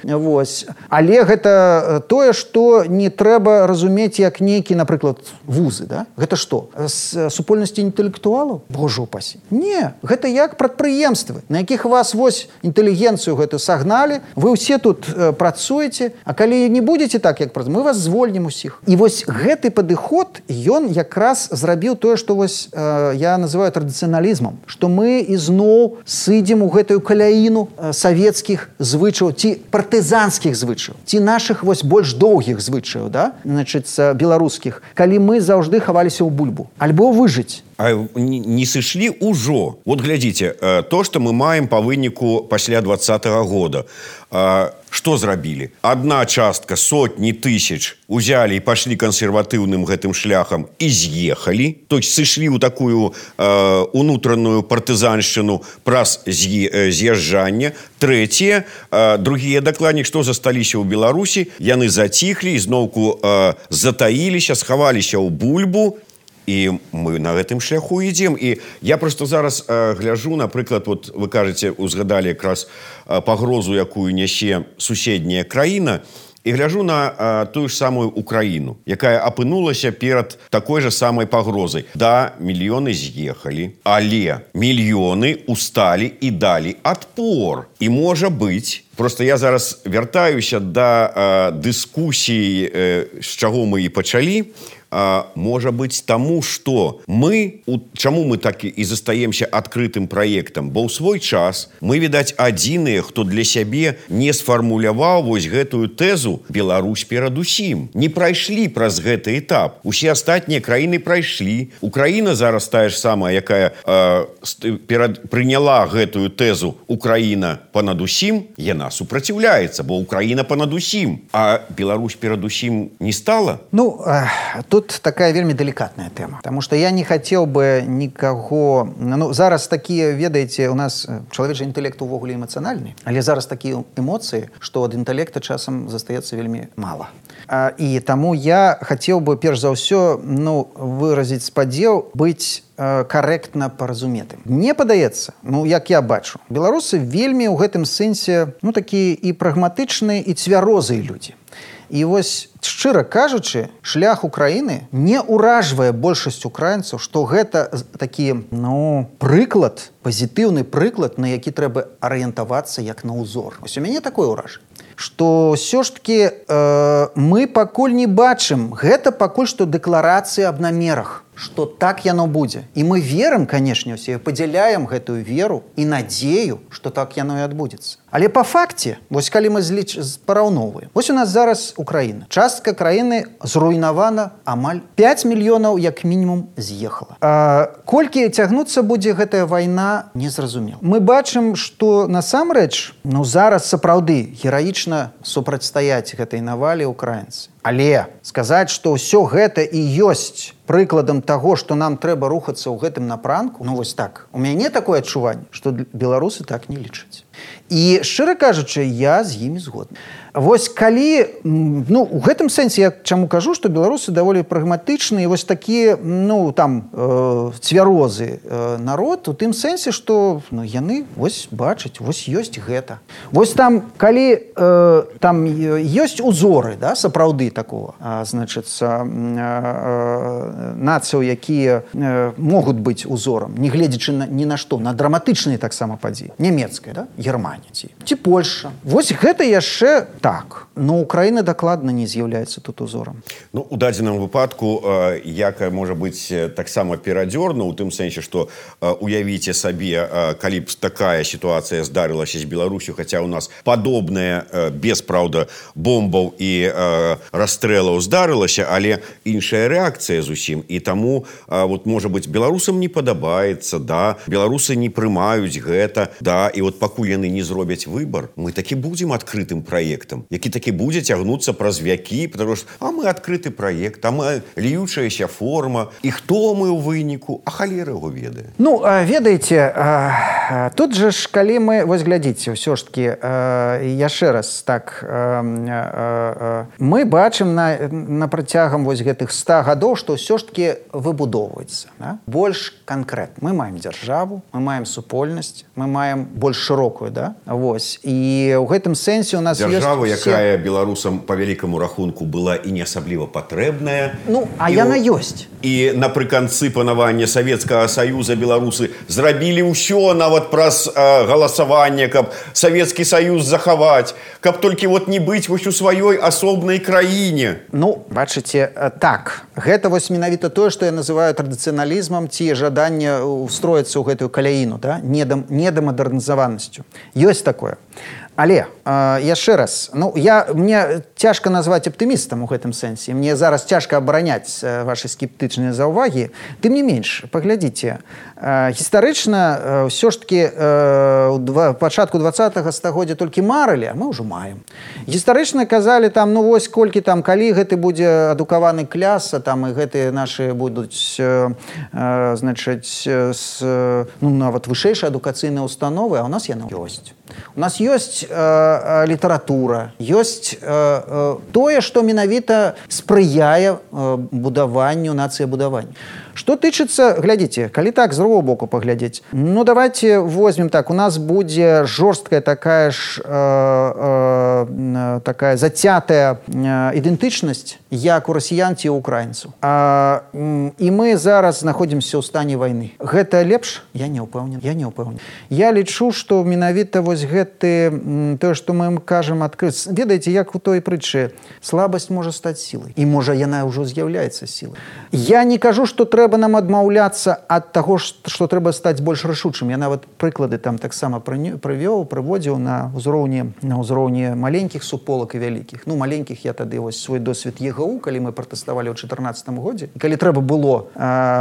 але гэта тое, што не трэба разумець як нейкі, напрыклад, вузы, Гэта што? З супольнасці інтэлектуалаў? Боже упасі. Не, гэта як прадпрыемствы, на якіх вас вось інтэлігенцыю гэту сагналі, вы ўсе тут працуеце, а калі не будзеце так, як працуеце, мы вас звольнім усіх. І вось гэты падыход, ён якраз зрабіў тое, што вось я называю традыцыяналізмам, што мы ізноў сыдзем у гэтую каляіну савецкіх звычаяў ці партызанскіх звычаяў, ці нашых вось больш доўгіх звычаяў, беларускіх, калі мы заўжды хаваліся ў бульбу. Альбо выжыць. А не сышлі ўжо. Вот глядзіце, то, што мы маем па выніку пасля 20-го года. Што зрабілі? Адна частка, сотні тысяч узялі і пашлі кансерватыўным гэтым шляхам і з'ехалі. То есть сышлі ў такую унутраную партызаншчыну праз з'язджанне. Трэцяе, другія дакладней, што засталіся ў Беларусі, яны заціхлі, ізноўку затаіліся, схаваліся ў бульбу. І мы на гэтым шляху ідзем. І я просто зараз гляжу, напрыклад, вот вы кажаце, узгадалі якраз пагрозу, якую нясе суседняя краіна. і гляжу на тую ж самую Украіну, якая апынулася перад такой же самай пагрозай. Да, мільёны з'ехалі, але мільёны усталі і далі адпор. І можа быць, просто я зараз вяртаюся да дыскусіі, з чаго мы і пачалі, можа быць таму, што чаму мы так і застаемся адкрытым праектам? Бо ў свой час мы, відаць, адзіныя, хто для сябе не сфармуляваў вось гэтую тэзу «Беларусь перадусім». Не прайшлі праз гэты этап. Усе астатнія краіны прайшлі. Украіна зараз тая ж самая, якая прыняла гэтую тэзу «Украіна панадусім», яна супраціўляецца, бо Украіна панадусім. А Беларусь перадусім не стала? Ну, тут такая вельмі делікатная тэма, потому что я не хацеў бы нікаго... Ну, зараз такія, ведаеце, у нас чалавечы інтэлект увогуле эмацыянальны, але зараз такія эмоцыі, што ад інтэлекта часам застаецца вельмі мала. І таму я хацеў бы, перш за ўсё, выразіць спадзеў быць карэктна паразуметым. Мне падаецца, як я бачу, беларусы вельмі ў гэтым сэнсе, такія і прагматычныя, і цвярозыя людзі. І вось, шчыра кажучы, шлях Украіны не ўражвае большасць украінцаў, што гэта такі, прыклад, пазітыўны прыклад, на які трэба арыентавацца як на ўзор. Вось у мяне такое ўражанне, што ўсё ж такі мы пакуль не бачым, гэта пакуль што дэкларацыі аб намерах, што так яно будзе. І мы верым, канешне, усе, падзяляем гэтую веру і надзею, што так яно і адбудзецца. Але па факце, вось калі мы параўноўваем, вось у нас зараз Украіна. Частка краіны зруйнавана, амаль 5 мільёнаў, як мінімум, з'ехала. Колькі цягнуцца будзе гэтая вайна, незразумела. Мы бачым, што насамрэч, зараз сапраўды гераічна супрацьстаяць гэтай навалі украінцы. Але сказаць, што ўсё гэта і ёсць прыкладам таго, што нам трэба рухацца ў гэтым напрамку, вось так. У мяне такое адчуванне, што беларусы так не лічаць. І, шчыра кажучы, я з імі згодны. Вось калі, у гэтым сэнсе я чаму кажу, што беларусы даволі прагматычныя, вось такія, цвярозы народ, у тым сэнсе, што яны вось бачаць, вось ёсць гэта. Вось там, калі там ёсць узоры, сапраўды такого, нацыяў, якія могуць быць узорам, не гледзячы ні на што, на драматычныя таксама падзеі. Нямецкая, Германія ці Польша. Вось гэта яшчэ так. Но Украіна дакладна не з'яўляецца тут узорам. У дадзеным выпадку, якая можа быць таксама перадзёрна, у тым сэнсе, што уявіце сабе, калі б такая сітуацыя здарылася з Беларусю, хаця ў нас падобная, без, праўда, бомбаў і расстрэлаў здарылася, але іншая рэакцыя зусім. І таму, можа быць, беларусам не падабаецца, беларусы не прымаюць гэта, і пакуль яны не зробяць выбар, мы такі будзем адкрытым праектам, які такі будзе цягнуцца праз вякі, потому што мы адкрыты праект, мы ліючаяся форма, і хто мы ў выніку, халера яго ведае. Ведаеце, тут же ж, калі мы, вось глядзіце, ўсё ж такі, яшчэ раз, так, мы бачым на працягам вось гэтых 100 гадоў, што ўсё ж такі выбудоўваецца. Больш канкрэтна. Мы маем дзяржаву, мы маем супольнасць, мы маем больш шырокую, вось. І ў гэтым сэнсе у нас дзяржава, якая беларусам па вялікаму рахунку была і не асабліва патрэбная. Яна ёсць. І напрыканцы панавання Савецкага Саюза беларусы зрабілі ўсё нават праз галасаванне, каб Савецкі Саюз захаваць, каб толькі не быць вось у сваёй асобнай краіне. Бачыце, так. Гэта вось менавіта тое, што я называю традыцыяналізмам ці жаданне устроіцца ў гэтую каляіну, недамадэрнізаванасцю. Ёсць такое. Але, яшчэ раз, мне цяжка назваць аптымістам у гэтым сэнсе. Мне зараз цяжка абараняць вашы скептычныя заўвагі. Тым не менш, паглядзіце, гістарычна ўсё ж такі пачатку 20-го стагоддзя толькі марылі, а мы ўжо маем. Гістарычна казалі вось колькі калі гэты будзе адукаваны кляс, і гэтыя нашы будуць, нават вышэйшыя адукацыйныя установы, а ў нас яны ёсць. У нас ёсць літаратура, ёсць тое, што менавіта спрыяе будаванню, нацыябудаванню. Што тычыцца, глядзіце, калі так з другого боку паглядзець, ну давайте возьмем так, у нас будзе жорсткая такая ж такая зацятая ідэнтычнасць, як у расіян ці украінцаў. І мы зараз знаходзімся ў стане вайны. Гэта лепш? Я не ўпэўнен. Я лічу, што менавіта вось гэты, тое, што мы ім кажам адкрыць. Ведаеце, як у той прытчы, слабасць можа стаць сілай. І можа яна ўжо з'яўляецца сілай. Я не кажу, што трэба нам адмаўляцца ад таго, што трэба стаць больш рашучым. Я нават прыклады там таксама прыводзіў на ўзроўні маленькіх суполак і вялікіх. Ну, маленькіх я тады вось свой досвед ЕГУ, калі мы пратэставалі ў 2014 годзе. І калі трэба было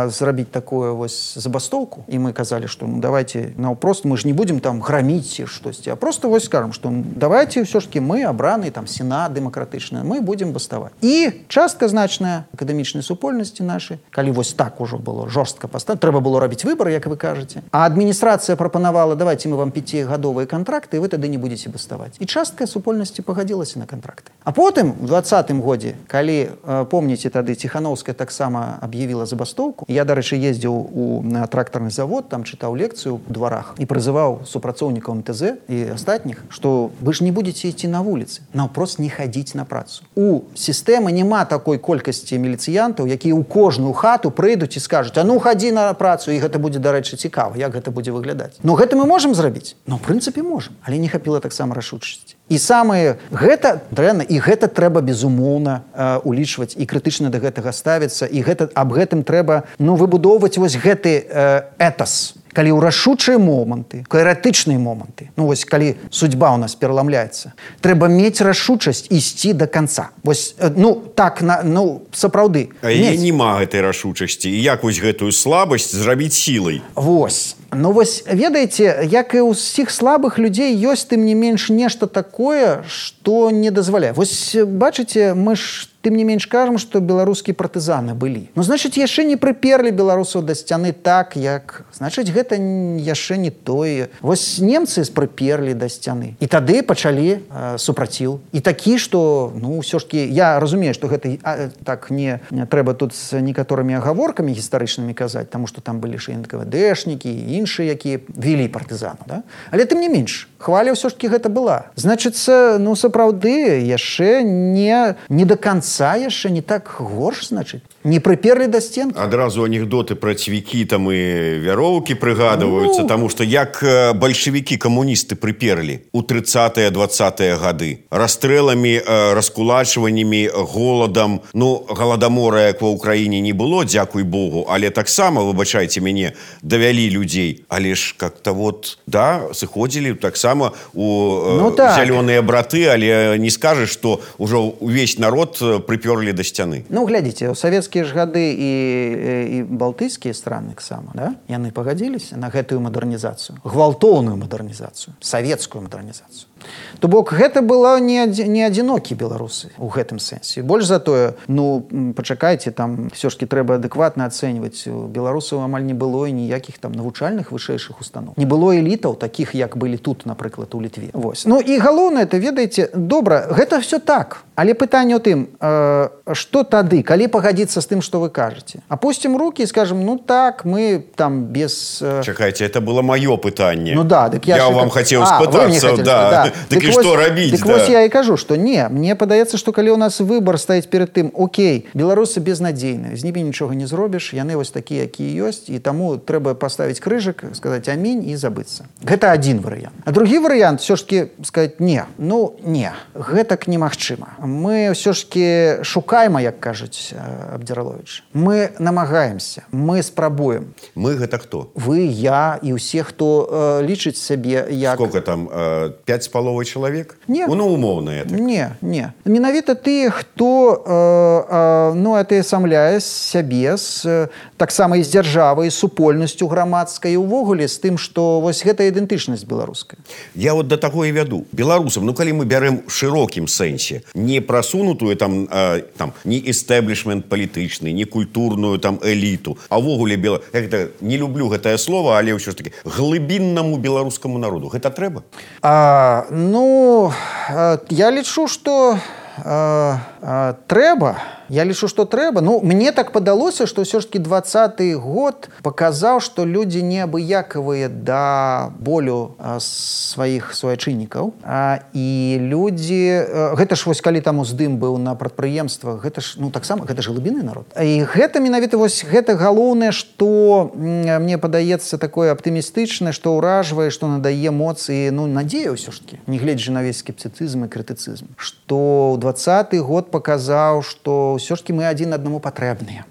зрабіць такую вось забастоўку, і мы казалі, што ну давайте наўпрост, мы ж не будзем там граміць ці штосьці, а просто вось скажам, што давайте ўсё ж таки мы абраны там сенат дэмакратычны, мы будзем баставаць. І частка значная акадэмічнай супольнасці нашай, калі вось так ужо было жорстка паставіць, трэба было рабіць выбар, як вы кажаце. А адміністрацыя прапанавала, давайте мы вам 5-гадовыя кантракты, і вы тады не будзеце баставаць. І частка супольнасці пагадзілася на кантракты. А потым у 2020 годзе, калі помніце, тады Ціхановская таксама аб'явіла забастоўку. Я, дарэчы, ездзіў на трактарны завод, там чытаў лекцыю ў дварах і прызываў супрацоўнікаў МТЗ і астатніх, што вы ж не будзеце ісці на вуліцы, наўпрост не хадзіць на працу. У сістэмы няма такой колькасці міліцыянтаў, якія ў кожную хату прыйдуць і скажуць: а ну хадзі на працу, і гэта будзе, дарэчы, цікава, як гэта будзе выглядаць. Ну гэта мы можам зрабіць? Ну, ў прынцыпе, можам, але не хапіла таксама рашучасці. І самае гэта дрэнна, і гэта трэба безумоўна улічваць і крытычна да гэтага ставіцца, і аб гэтым трэба выбудоўваць вось гэты этас. Калі ў рашучыя моманты, крытычныя моманты, ну вось калі судьба ў нас пераламляецца, трэба мець рашучасць ісці да канца. Вось, сапраўды. А яе няма гэтай рашучасці. І як вось гэтую слабасць зрабіць сілай? Вось. Ну вось, ведаеце, як і ў ўсіх слабых людзей ёсць, тым не менш, нешта такое, што не дазваляе. Вось, бачыце, мы ж тым не менш кажам, што беларускія партызаны былі. Ну, значыць, яшчэ не прыперлі беларусаў да сцяны так, як... Значыць, гэта яшчэ не тое. Вось немцы прыперлі да сцяны. І тады пачалі супраціў. І такі, што, ну, ўсё ж такі... Я разумею, што гэта так не трэба тут з некаторымі агаворкамі гістарычнымі казаць, таму што там былі ж НКВДшнікі і іншыя, якія вялі партызану, да? Але тым не менш, хваля ўсё ж такі гэта была. Значыцца, ну, сапраўды, яшчэ не да канца, яшчэ не так горш, значыць. Не прыперлі да стенкі. Адразу анекдоты пра цвікі там і вяроўкі прыгадваюцца, таму што як бальшавікі-камуністы прыперлі ў 30-е, 20-е гады. Расстрэламі, раскулачваннямі, голадам. Ну, галадамора, як ва ўкраіне, не было, дзякуй Богу, але таксама, выбачайце мяне, давялі людзей. Але ж как-то вот, да, сыходзілі таксама у зялёныя браты, але не скажаш, што ўжо увесь народ прыперлі да сцяны. Ну, глядзіце, у савецкія ж гады і балтыйскія страны таксама, да? Яны пагадзіліся на гэтую мадэрнізацыю, гвалтоўную мадэрнізацыю, савецкую мадэрнізацыю. То бок, гэта было не адзінокі беларусы ў гэтым сэнсе. Больш за тое, ну, пачакайце, там ўсё ж такі трэба адэкватна ацэньваць. У беларусаў амаль не было і ніякіх там навучальных вышэйшых устаноў. Не было элітаў, такіх, як былі тут, напрыклад, у Літве. Вось. Ну, і галоўнае, это, ведаеце, добра, гэта ўсё так. Але пытанне ў тым, што тады, калі пагадзіцца з тым, што вы кажаце? Апусцім рукі і скажам, ну так, мы там без... Чакайце, это было маё пытанне. Ну да, дык я вам хацеў спытацца, да. Дык і што рабіць? Дык вось я і кажу, што не, мне падаецца, што калі ў нас выбар стаіць перад тым, окей, беларусы безнадзейныя, з німі нічога не зробіш, яны вось такія, якія ёсць, і таму трэба паставіць крыжык, сказаць амінь і забыцца. Гэта адзін варыянт. А другі варыянт, ўсё ж такі сказаць не, ну не, гэтак немагчыма. Мы ўсё ж такі шукаем, як кажуць Абдзіраловіч. Мы намагаемся, мы спрабуем. Мы гэта хто? Вы, я і ўсе, хто лічыць сябе як... Сколько там, 5,5 чалавек? Не. Ну, умоўна. Не. Менавіта тыя, хто атаясамляе сябе таксама і з дзяржавай, з супольнасцю грамадскай, і ўвогуле з тым, што вось гэта ідэнтычнасць беларуская. Я вот да таго і вяду. Беларусам, ну калі мы бярем шырокім сэнсе, не прасунутую там не эстаблішмент палітычны, не культурную там эліту, а ўвогуле не люблю гэтае слово, але ўсё ж таки глыбіннаму беларускаму народу. Гэта трэба? Ну, я лічу, што трэба, Я лічу, што трэба. Ну, мне так падалося, што ўсё ж таки 20-й год паказаў, што людзі неабыякавыя да болю сваіх суайчыннікаў. І людзі... Гэта ж вось калі там уздым быў на прадпрыемствах, гэта ж, ну, таксама, гэта ж глыбінны народ. І гэта менавіта вось гэта галоўнае, што мне падаецца такое аптымістычнае, што ўражвае, што надае моц і, ну, надзея ўсё ж таки, не гледзячы на весь скептыцызм і крытыцызм. Што ў 20-й год паказаў, што ўсё ж таки мы адзін аднаму патрэбныя.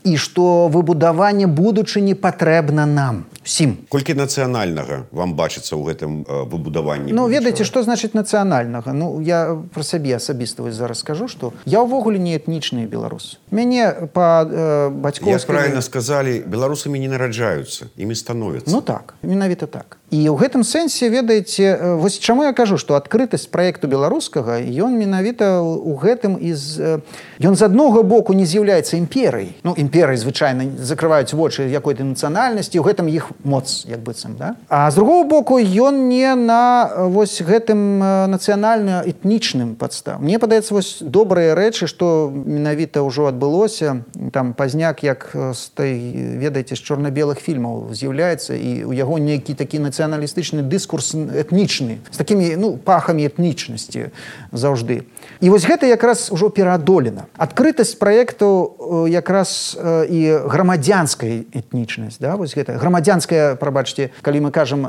І што выбудаванне будучыні патрэбна нам усім. Колькі нацыянальнага вам бачыцца ў гэтым выбудаванні? Ну, ведаеце, што значыць нацыянальнага? Ну, я пра сябе асабіста вось зараз скажу, што я ўвогуле не этнічны беларус. Мяне па бацькоўскай... Як правільна сказалі, беларусамі не нараджаюцца, імі становяцца. Ну так, менавіта так. І ў гэтым сэнсе, ведаеце, вось чаму я кажу, што адкрытасць праекту беларускага, ён менавіта ў гэтым ён з аднаго боку не з'яўляецца імперыяй. Ну, імперыі звычайна закрываюць вочы якой-то нацыянальнасці, у гэтым іх моц, як быццам, да? А з другого боку, ён не на вось гэтым нацыянальна-этнічным падстав. Мне падаецца, вось добрыя рэчы, што менавіта ўжо адбылося, там пазняк, як з той, ведаеце, з чорна-белых фільмаў з'яўляецца, і у яго нейкі такі нацыяналістычны дыскурс этнічны, з такімі, ну, пахамі этнічнасці заўжды. І вось гэта якраз ужо пераадолена. Адкрытасць праекту якраз і грамадзянская этнічнасць, да, вось гэта грамадзянская, прабачце, калі мы кажам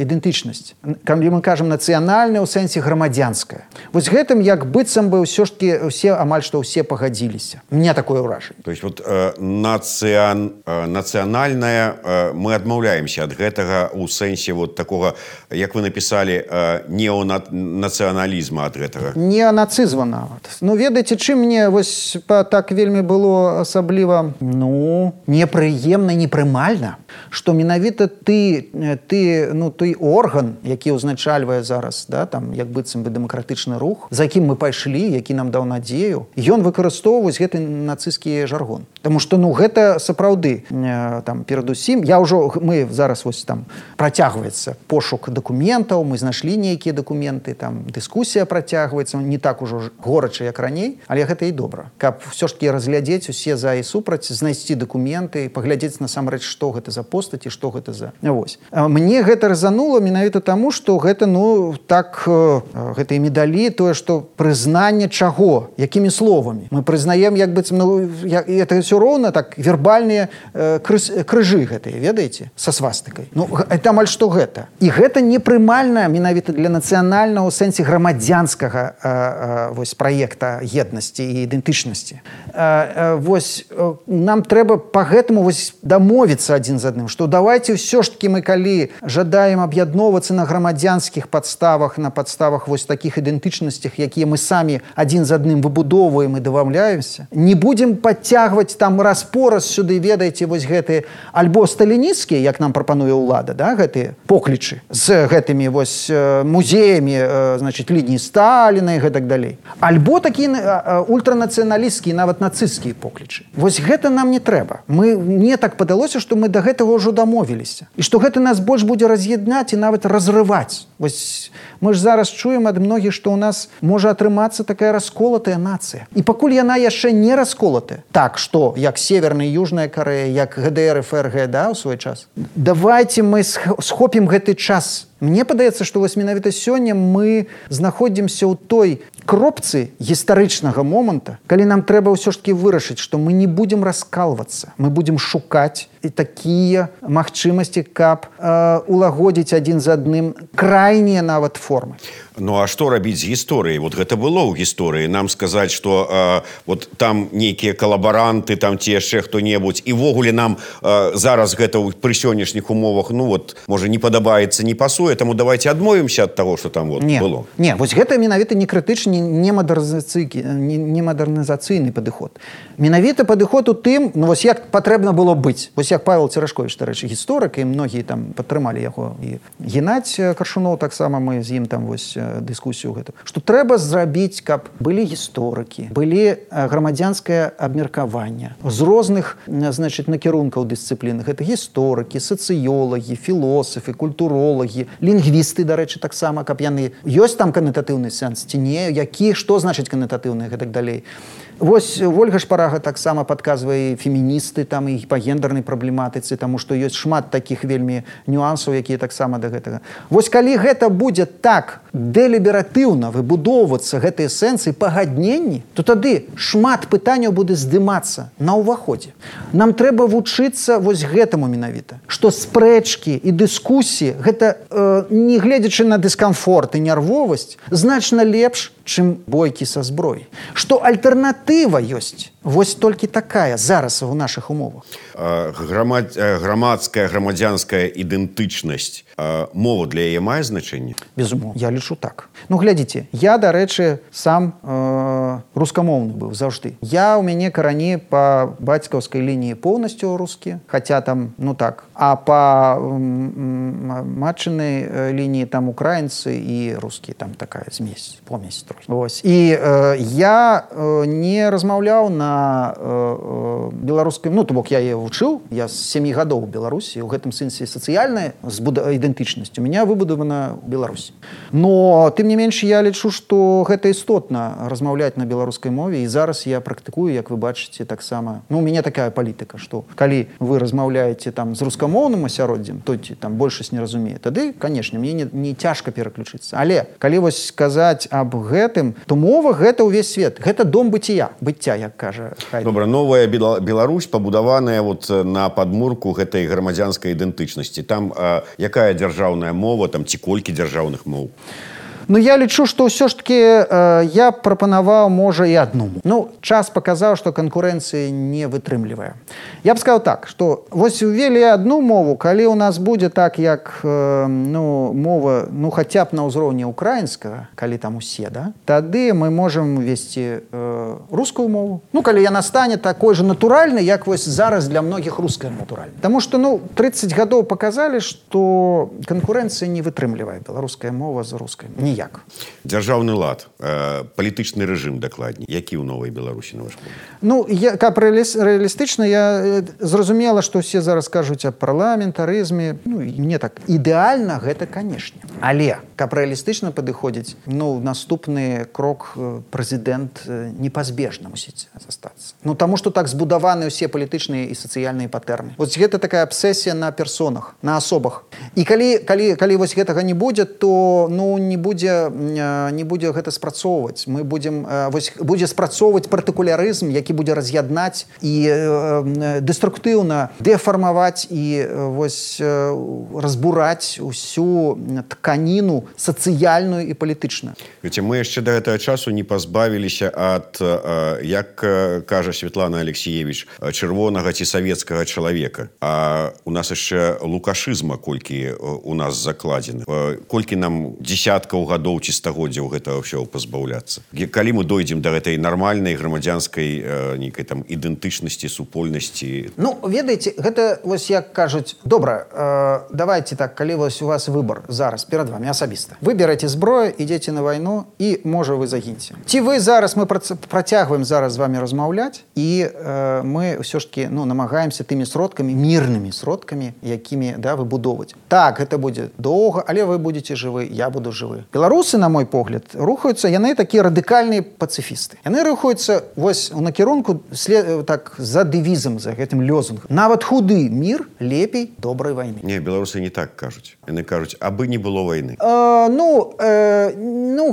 ідэнтычнасць, калі мы кажам нацыянальная ў сэнсе грамадзянская. Вось гэтым як быццам бы ўсё ж таки усе амаль што ўсе пагадзіліся. Мне такое ўражанне. То есть вот нацыянальная, мы адмаўляемся ад гэтага ў сэнсе вот такога, як вы напісалі, неонацыяналізма ад гэтага. Неонацызма нават. Ну, ведаеце, чым мне вось так вельмі было асабліва, ну, непрыемна, непрымальна, што менавіта той орган, які ўзначальвае зараз, да, там, як быццам бы дэмакратычны рух, за якім мы пайшлі, які нам даў надзею, ён выкарыстоўваць гэты нацысцкі жаргон. Таму што, ну, гэта сапраўды, там, перадусім, мы зараз вось там працягваецца пошук дакументаў, мы знайшлі нейкія дакументы, там, дыскусія працягваецца, не так ужо горача, як раней, але гэта і добра. Каб ўсё ж таки разглядзець усе за і супраць, знайсці дакументы, паглядзець насамрэч, што гэта за постаці, што гэта за... Вось. Мне гэта разанула менавіта таму, што гэта, ну, так, гэта і медалі, тое, што прызнанне чаго, якімі словамі. Мы прызнаем, як быццам, ну, это ўсё роўна, так, вербальныя крыжы гэтыя, ведаеце, са свастыкай. Ну, это амаль што гэта. І гэта непрымальна менавіта для нацыянальнага ў сэнсе грамадзянскага вось праекта еднасці і ідэнтычнасці. Вось нам трэба па гэтаму вось дамовіцца адзін з адным, што давайте ўсё ж таки мы калі жадаем аб'ядноўвацца на грамадзянскіх падставах, на падставах вось такіх ідэнтычнасцях, якія мы самі адзін з адным выбудоўваем і дамаўляемся, не будзем падцягваць там раз-пораз сюды, ведаеце, вось гэты альбо сталінісцкія, як нам прапануе ўлада, да, гэтыя поклічы з гэтымі вось музеямі, значит, лініі Сталіна і гэтак далей. Альбо такія ультранацыяналісцкія, нават нацысцкія поклічы. Вось гэта нам не трэба. Мне так падалося, што мы да гэтага ўжо дамовіліся. І што гэта нас больш будзе раз'яднаць і нават разрываць. Вось мы ж зараз чуем ад многіх, што ў нас можа атрымацца такая расколатая нацыя. І пакуль яна яшчэ не расколатая, так, што, як Северная і Южная Карэя, як ГДР, ФРГ, да, ў свой час, давайте мы схопім гэты час. Мне падаецца, што вось менавіта сёння мы знаходзімся ў той кропцы гістарычнага моманта, калі нам трэба ўсё ж таки вырашыць, што мы не будзем раскалвацца, мы будзем шукаць і такія магчымасці, каб улагодзіць адзін з адным крайнія нават формы. Ну а што рабіць з гісторыяй? Вот гэта было ў гісторыі. Нам сказаць, што вот там нейкія калабаранты, там ці яшчэ хто-небудзь, і ввогуле нам зараз гэта пры сённяшніх умовах, ну вот, можа, не падабаецца, не пасуе, таму давайте адмовімся ад таго, што там вот было. Не, вось гэта менавіта не крытычны, не мадэрнізацыйны падыход. Менавіта падыход у тым, ну вось як патрэбна было быць. Вось як Павел Церашковіч, дарэчы, гісторык, і многія там падтрымалі яго. І Геннадзь Каршунов таксама, мы з ім там вось дыскусію гэту, што трэба зрабіць, каб былі гісторыкі, былі грамадзянскае абмеркаванне з розных, значыць, накірункаў дысцыплін. Гэта гісторыкі, сацыёлагі, філосафы, культуролагі, лінгвісты, дарэчы, таксама, каб яны... Ёсць там канататыўны сэнс ці не? Які, што значыць канататыўны і гэтак далей. Вось Ольга Шпарага таксама падказвае феміністы там і па гендернай праблематыцы, таму што ёсць шмат такіх вельмі нюансаў, якія таксама да гэтага. Вось калі гэта будзе так дэлібератыўна выбудоўвацца гэтыя сэнсы пагадненні, то тады шмат пытанняў будзе здымацца на ўваходзе. Нам трэба вучыцца вось гэтаму менавіта, што спрэчкі і дыскусіі гэта, не гледзячы на дыскамфорт і нервовасць, значна лепш, чым бойкі са зброяй. Што альтэрнатыва ёсць. Вось толькі такая зараз у нашых умовах. Грамадская, грамадзянская ідэнтычнасць, мова для яе мае значэнне? Безумоўна, я лічу так. Ну, глядзіце, я, дарэчы, сам рускамоўны быў заўжды. У мяне карані па бацькаўскай лініі поўнасцю рускі, хаця там, ну так, а па матчынай лініі там украінцы і рускі, там такая помесь трохі. Вось. І я не размаўляў на беларускай, ну, то бок я яе вучыў, я з 7 гадоў у Беларусі, у гэтым сэнсе сацыяльная ідэнтычнасць у меня выбудавана ў Беларусі. Но, тым не менш, я лічу, што гэта істотна размаўляць на беларускай мове, і зараз я практыкую, як вы бачыце, таксама. Ну, у мяне такая палітыка, што калі вы размаўляеце там з рускамоўным асяроддзем, то там большасць не разумее, тады, канешне, мне не цяжка пераключыцца. Але, калі вось сказаць аб гэтым, то мова гэта ўвесь свет. Гэта дом быцця, як кажа. Добра, новая Беларусь пабудаваная вот на падмурку гэтай грамадзянскай ідэнтычнасці. Там якая дзяржаўная мова, там ці колькі дзяржаўных моў? Ну, я лічу, што ўсё ж таки я прапанаваў, можа, і адну. Ну, час паказаў, што канкурэнцыі не вытрымлівае. Я б сказаў так, што вось увелі адну мову, калі ў нас будзе так, як мова, хаця б на ўзроўні украінскага, калі там усе, да, тады мы можам весці рускую мову. Ну, калі яна стане такой же натуральнай, як вось зараз для многіх руская натуральная. Таму што, 30 гадоў паказалі, што канкурэнцыя не вытрымлівае беларуская мова з рускай. Ніяк. Дзяржаўны лад, палітычны рэжым дакладней, які ў новай Беларусі, на ваш погляд? Ну, каб рэалістычна, я зразумела, што ўсе зараз кажуць аб парламентарызме. Ну, мне так, ідэальна гэта, канешне. Але, каб рэалістычна падыходзіць, наступны крок прэзідэнт непазбежна мусіць застацца. Таму што так збудаваны ўсе палітычныя і сацыяльныя патэрны. Вось гэта такая абсесія на персонах, на асобах. І калі вось гэтага не будзе, то не будзе гэта спрацоўваць. Мы будзе спрацоўваць партыкулярызм, які будзе раз'яднаць і дэструктыўна дэфармаваць і разбураць усю тканіну сацыяльную і палітычную. Мы яшчэ да гэтага часу не пазбавіліся ад, як кажа Светлана Алексеевич, чырвонага ці савецкага чалавека. А у нас яшчэ лукашызма колькі у нас закладзены. Колькі нам дзесяткаў гадоў ці стагоддзяў гэтага ўсё пазбаўляцца. Калі мы дойдзем да гэтай нармальнай грамадзянскай нейкай там ідэнтычнасці, супольнасці? Ведаеце, гэта вось як кажуць, добра, давайте так, калі вось у вас выбор зараз перад вами асабіста. Вы бераце зброю, ідзеце на вайну і, можа, вы загіньце. Ці вы зараз, мы працягваем зараз з вами размаўляць і мы ўсё ж таки намагаемся тымі сродкамі, мірнымі сродкамі, якімі выбудоўваць. Так, гэта будзе доўга, але вы будзеце жывы, я буду жывы. Беларусы, на мой погляд, рухаюцца, яны такія радыкальныя пацыфісты. Яны рухаюцца вось у накірунку так за дэвізам, за гэтым лёзунгам. Нават худы мір лепей добрай вайны. Не, беларусы не так кажуць. Яны кажуць, абы не было вайны.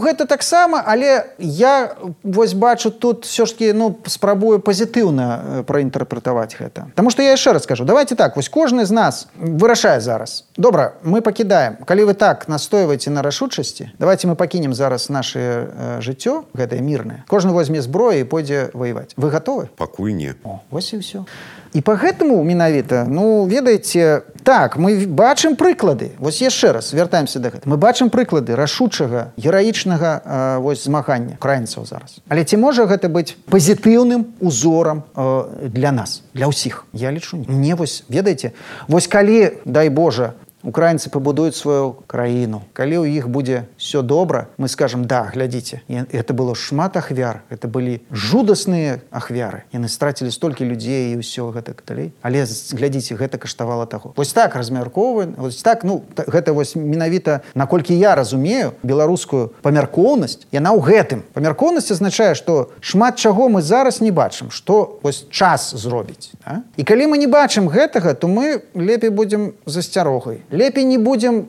Гэта таксама, але я вось бачу тут все ж таки, спрабую пазітыўна праінтэрпрэтаваць гэта. Таму што я яшчэ раз скажу, давайте так, вось кожны з нас вырашае зараз. Добра, мы пакідаем. Калі вы так настойваеце на рашучасці, давайте мы пакінем зараз наше жыццё, гэтае мірнае. Кожны возьме зброю і пойдзе ваяваць. Вы гатовы? Пакуль не. Вось і ўсё. І па гэтаму менавіта, ведаеце, так, мы бачым прыклады. Вось яшчэ раз вяртаемся да гэта. Мы бачым прыклады рашучага, гераічнага змагання украінцаў зараз. Але ці можа гэта быць пазітыўным узорам для нас, для ўсіх? Я лічу, не. Мне вось, ведаеце, вось калі, дай Божа, украінцы пабудуюць сваю краіну, калі ў іх будзе все добра, мы скажем, да, глядзіце, это было шмат ахвяр, это былі жудасныя ахвяры, яны страцілі столькі людзей і ўсё гэтак далей, але глядзіце, гэта каштавала таго. Вось так размяркоўваем, вось так, гэта вось менавіта, наколькі я разумею беларускую памяркоўнасць, яна ў гэтым. Памяркоўнасць азначае, што шмат чаго мы зараз не бачым, што вось час зробіць. Да? І калі мы не бачым гэтага, то мы лепей будзем засцярогай. Лепей не будзем,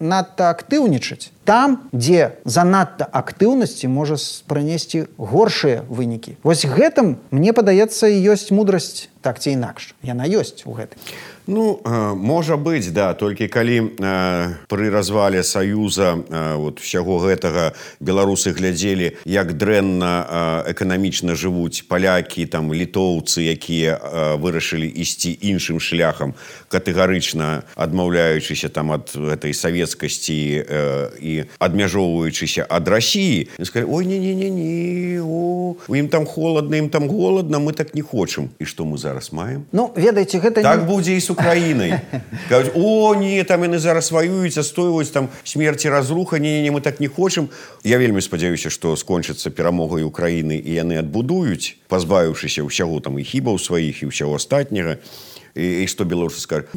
надта актыўнічаць. Там, дзе занадта актыўнасці можа прынесці горшыя вынікі. Вось гэтым, мне падаецца, і ёсць мудрасць, так ці інакш. Яна ёсць у гэтым. Можа быць, да, толькі калі пры развале Саюза ўсяго гэтага беларусы глядзелі, як дрэнна эканамічна жывуць палякі, літоўцы, якія вырашылі ісці іншым шляхам, катэгарычна адмаўляючыся ад гэтай савецкасці і адмяжоўваючыся ад Расіі, сказалі, ой, не-не-не, у ім там холадна, ім там голадна, мы так не хочам. І што мы зараз маем? Ведаеце, гэта так будзе і з Украінай. Кажуць, не, там яны зараз ваююць, адстойваюць там смерці, разруха, не, мы так не хочам. Я вельмі спадзяюся, што скончыцца перамогай Украіны і яны адбудуюць, пазбавіўшыся ўсяго і хібаў сваіх, і ўсяго астатняга. І што беларусы скажуць,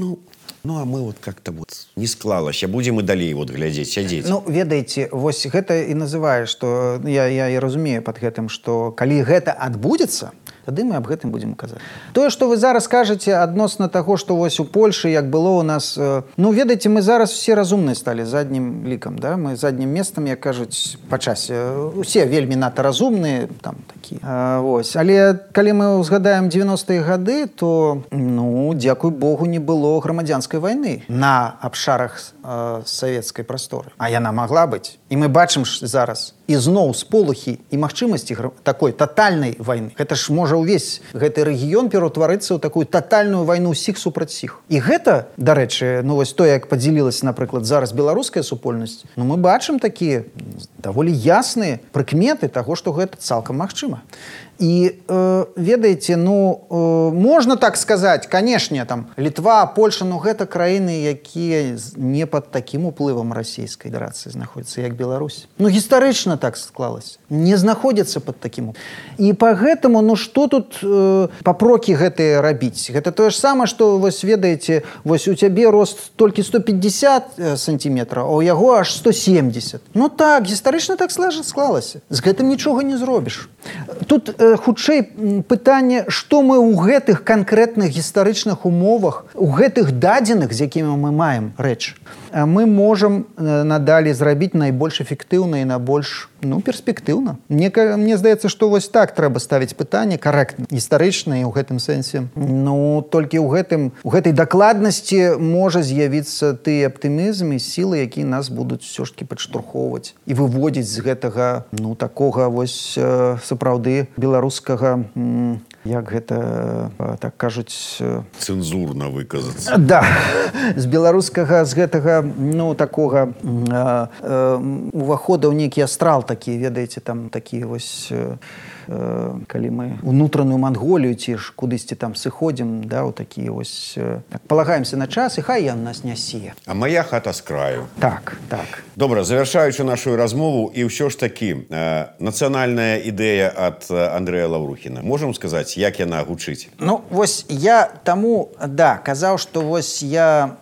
а мы как-то не склалася, будзем і далей глядзець, сядзець. Ведаеце, вось гэта і называе, што я і разумею пад гэтым, што калі гэта адбудзецца, тады мы аб гэтым будзем казаць. Тое, што вы зараз кажаце адносна таго, што вось у Польшы, як было ў нас... ведаеце, мы зараз все разумныя сталі заднім лікам, да? Мы заднім местам, як кажуць, па часе. Усе вельмі надта разумныя, там такія. Вось. Але калі мы узгадаем 90-е гады, то, дзякуй Богу, не было грамадзянскай вайны на абшарах савецкай прасторы. А яна магла быць. І мы бачым зараз ізноў сполохі і магчымасці такой татальнай вайны. Гэта ж можа ўвесь гэты рэгіён пераўтварыцца ў такую татальную вайну ўсіх супраць сіх. І гэта, дарэчы, вось то, як падзялілася, напрыклад, зараз беларуская супольнасць, мы бачым такія даволі ясныя прыкметы таго, што гэта цалкам магчыма. І, ведаеце, можна так сказаць, канешне, Літва, Польша, гэта краіны, якія не пад такім уплывам расійскай федэрацыі знаходзяцца, як Беларусь. Гістарычна так склалася. Не знаходзяцца пад такім. І па гэтаму, што тут папрокі гэтыя рабіць? Гэта тое ж самае, што, вось, ведаеце, вось у цябе рост толькі 150 сантиметраў, а ў яго аж 170. Так, гістарычна так склалася. З гэтым нічога не зробіш. Тут хутчэй пытанне, што мы ў гэтых канкрэтных гістарычных умовах, у гэтых дадзеных, з якімі мы маем рэч, мы можам надалей зрабіць найбольш эфектыўна і найбольш перспектыўна. Мне здаецца, што вось так трэба ставіць пытанне карэктна, гістарычна і ў гэтым сэнсе. Толькі ў гэтай дакладнасці можа з'явіцца ты аптымізм і сілы, якія нас будуць усё ж такі падштурхоўваць і выводзіць з гэтага, такога вось сапраўды беларускага, як гэта, так кажуць... Цэнзурна выказацца. Да, з беларускага, з гэтага, такога увахода ў нейкі астрал такі, ведаеце, там такі вось... калі мы унутраную Манголію ці ж кудысьці там сыходзім, да, у такія вось... палагаемся на час, і хай ён нас нясе. А моя хата з краю. Так. Добра, завяршаючы нашу размову, і ўсё ж такі, нацыянальная ідэя ад Андрэя Лаўрухіна. Можам сказаць, як яна гучыць? Вось я таму, казаў, што вось я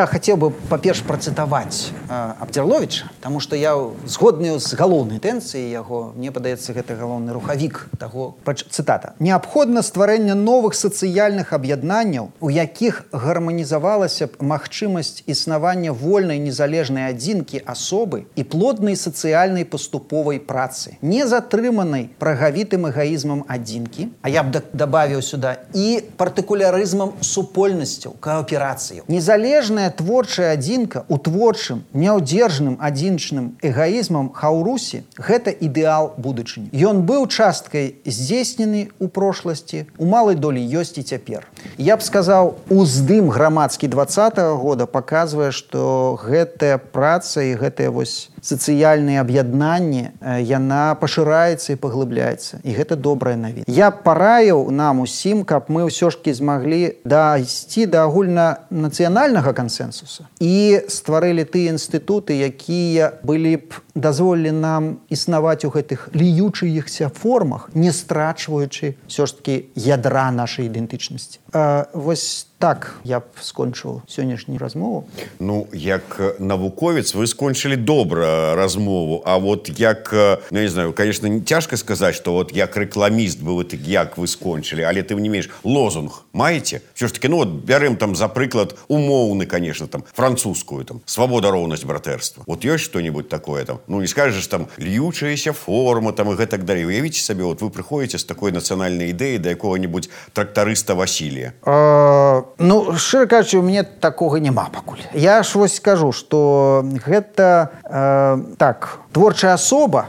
хацеў бы, па-перш, працытаваць Абдзірловіча, таму што я згодны з галоўнай тэнцыяй яго, мне падаецца, гэта галоўны рухавік таго, цытата. Неабходна стварэнне новых сацыяльных аб'яднанняў, у якіх гарманізавалася б магчымасць існавання вольнай незалежнай адзінкі асобы і плоднай сацыяльнай паступовай працы, не затрыманай прагавітым эгаізмам адзінкі, а я б дабавіў сюда, і партыкулярызмам супольнасцяў, кааперацыяў. Незалежная творчая адзінка ў творчым, няўдзержным адзінчным эгаізмам Хаўрусі – гэта ідэал будучыні. Ён быў часткай здзейснены ў прошласці, у малай долі ёсць і цяпер. Я б сказаў, уздым грамадскі 20-го года паказвае, што гэтая праца і гэтыя вось сацыяльныя аб'яднанні, яна пашыраецца і паглыбляецца. І гэта добрая навіна. Я параіў нам усім, каб мы ўсё ж такі змаглі дайсці да агульнанацыянальнага кансэнсуса і стварылі тыя інстытуты, якія былі б дазволілі нам існаваць у гэтых ліючыхся формах, не страчваючы ўсё ж такі ядра нашай ідэнтычнасці. Вось так я б скончыў сённяшнюю размову. Ну, як навуковец вы скончылі добра размову, а вот як, ну, не знаю, конечно, цяжка сказаць, што вот як рэкламіст бы вы так, як вы скончылі, але тым не менш, лозунг маеце? Всё ж таки, ну, вот бярем там, за прыклад, умоўны, конечно, там, французскую, там, свабода, роўнасць, братэрства. Вот ёсць што-нибудь такое там? Ну, не скажешь там, льючаяся форма, там, и гэтак далей. Уявіце сабе, вот вы прыходзіце з такой нацыянальнай ідэі да якога-нибудь трактарыста Васілія. Ну, шчыра кажучы, у мяне такога няма пакуль. Я ж вось скажу, што гэта так, творчая асоба,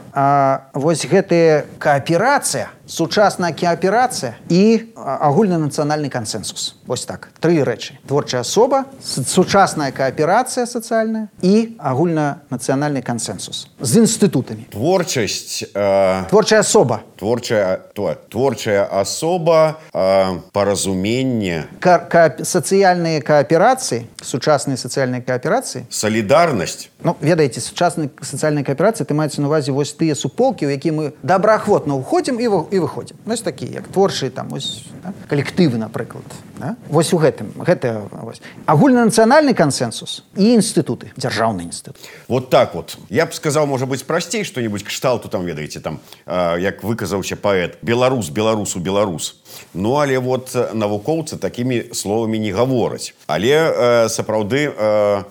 вось гэтая кааперацыя, сучасная кааперацыя і агульнанацыянальны кансэнсус. Вось так, тры рэчы. Творчая асоба, сучасная кааперацыя сацыяльная і агульнанацыянальны кансэнсус з інстытутамі. Творчасць... Творчая асоба. Творчая асоба, паразуменне... Сацыяльныя кааперацыі, сучасныя сацыяльныя кааперацыі. Салідарнасць. Ну, ведаеце, сучасныя сацыяльныя кааперацыі, ты маецца на увазе вось тыя суполкі, у якія мы добраахвотна ўходзім і выходзім. Вось такія, як творчыя, там, вось, да? Калектывы, напрыклад. Да? Вось у гэтым. Гэта, вось. Агульнанацыянальны кансэнсус і інстытуты, дзяржаўныя інстытуты. Вот так вот. Я б сказаў, можа быць, прасцей што-нибудь кшталту, там, ведаеце, там, як выказаўся паэт, беларус, беларусу, беларус. Ну, але вот навукоўцы такімі словамі не гавораць. Але сапраўды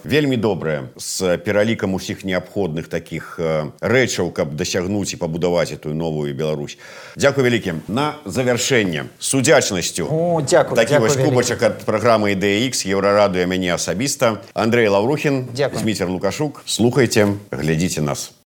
вельмі добрае з пералікам усіх неабходных такіх рэчаў, каб дасягнуць і пабудаваць эту новую Беларусь. Дзякуй вялікі. На завяршэнне з удзячнасцю. О, дзякуй. Такі вось кубачак ад праграмы «Ідэя Х», Еўрарадыё, мяне асабіста. Андрэй Лаўрухін, Зміцер Лукашук. Слухайце, глядзіце нас.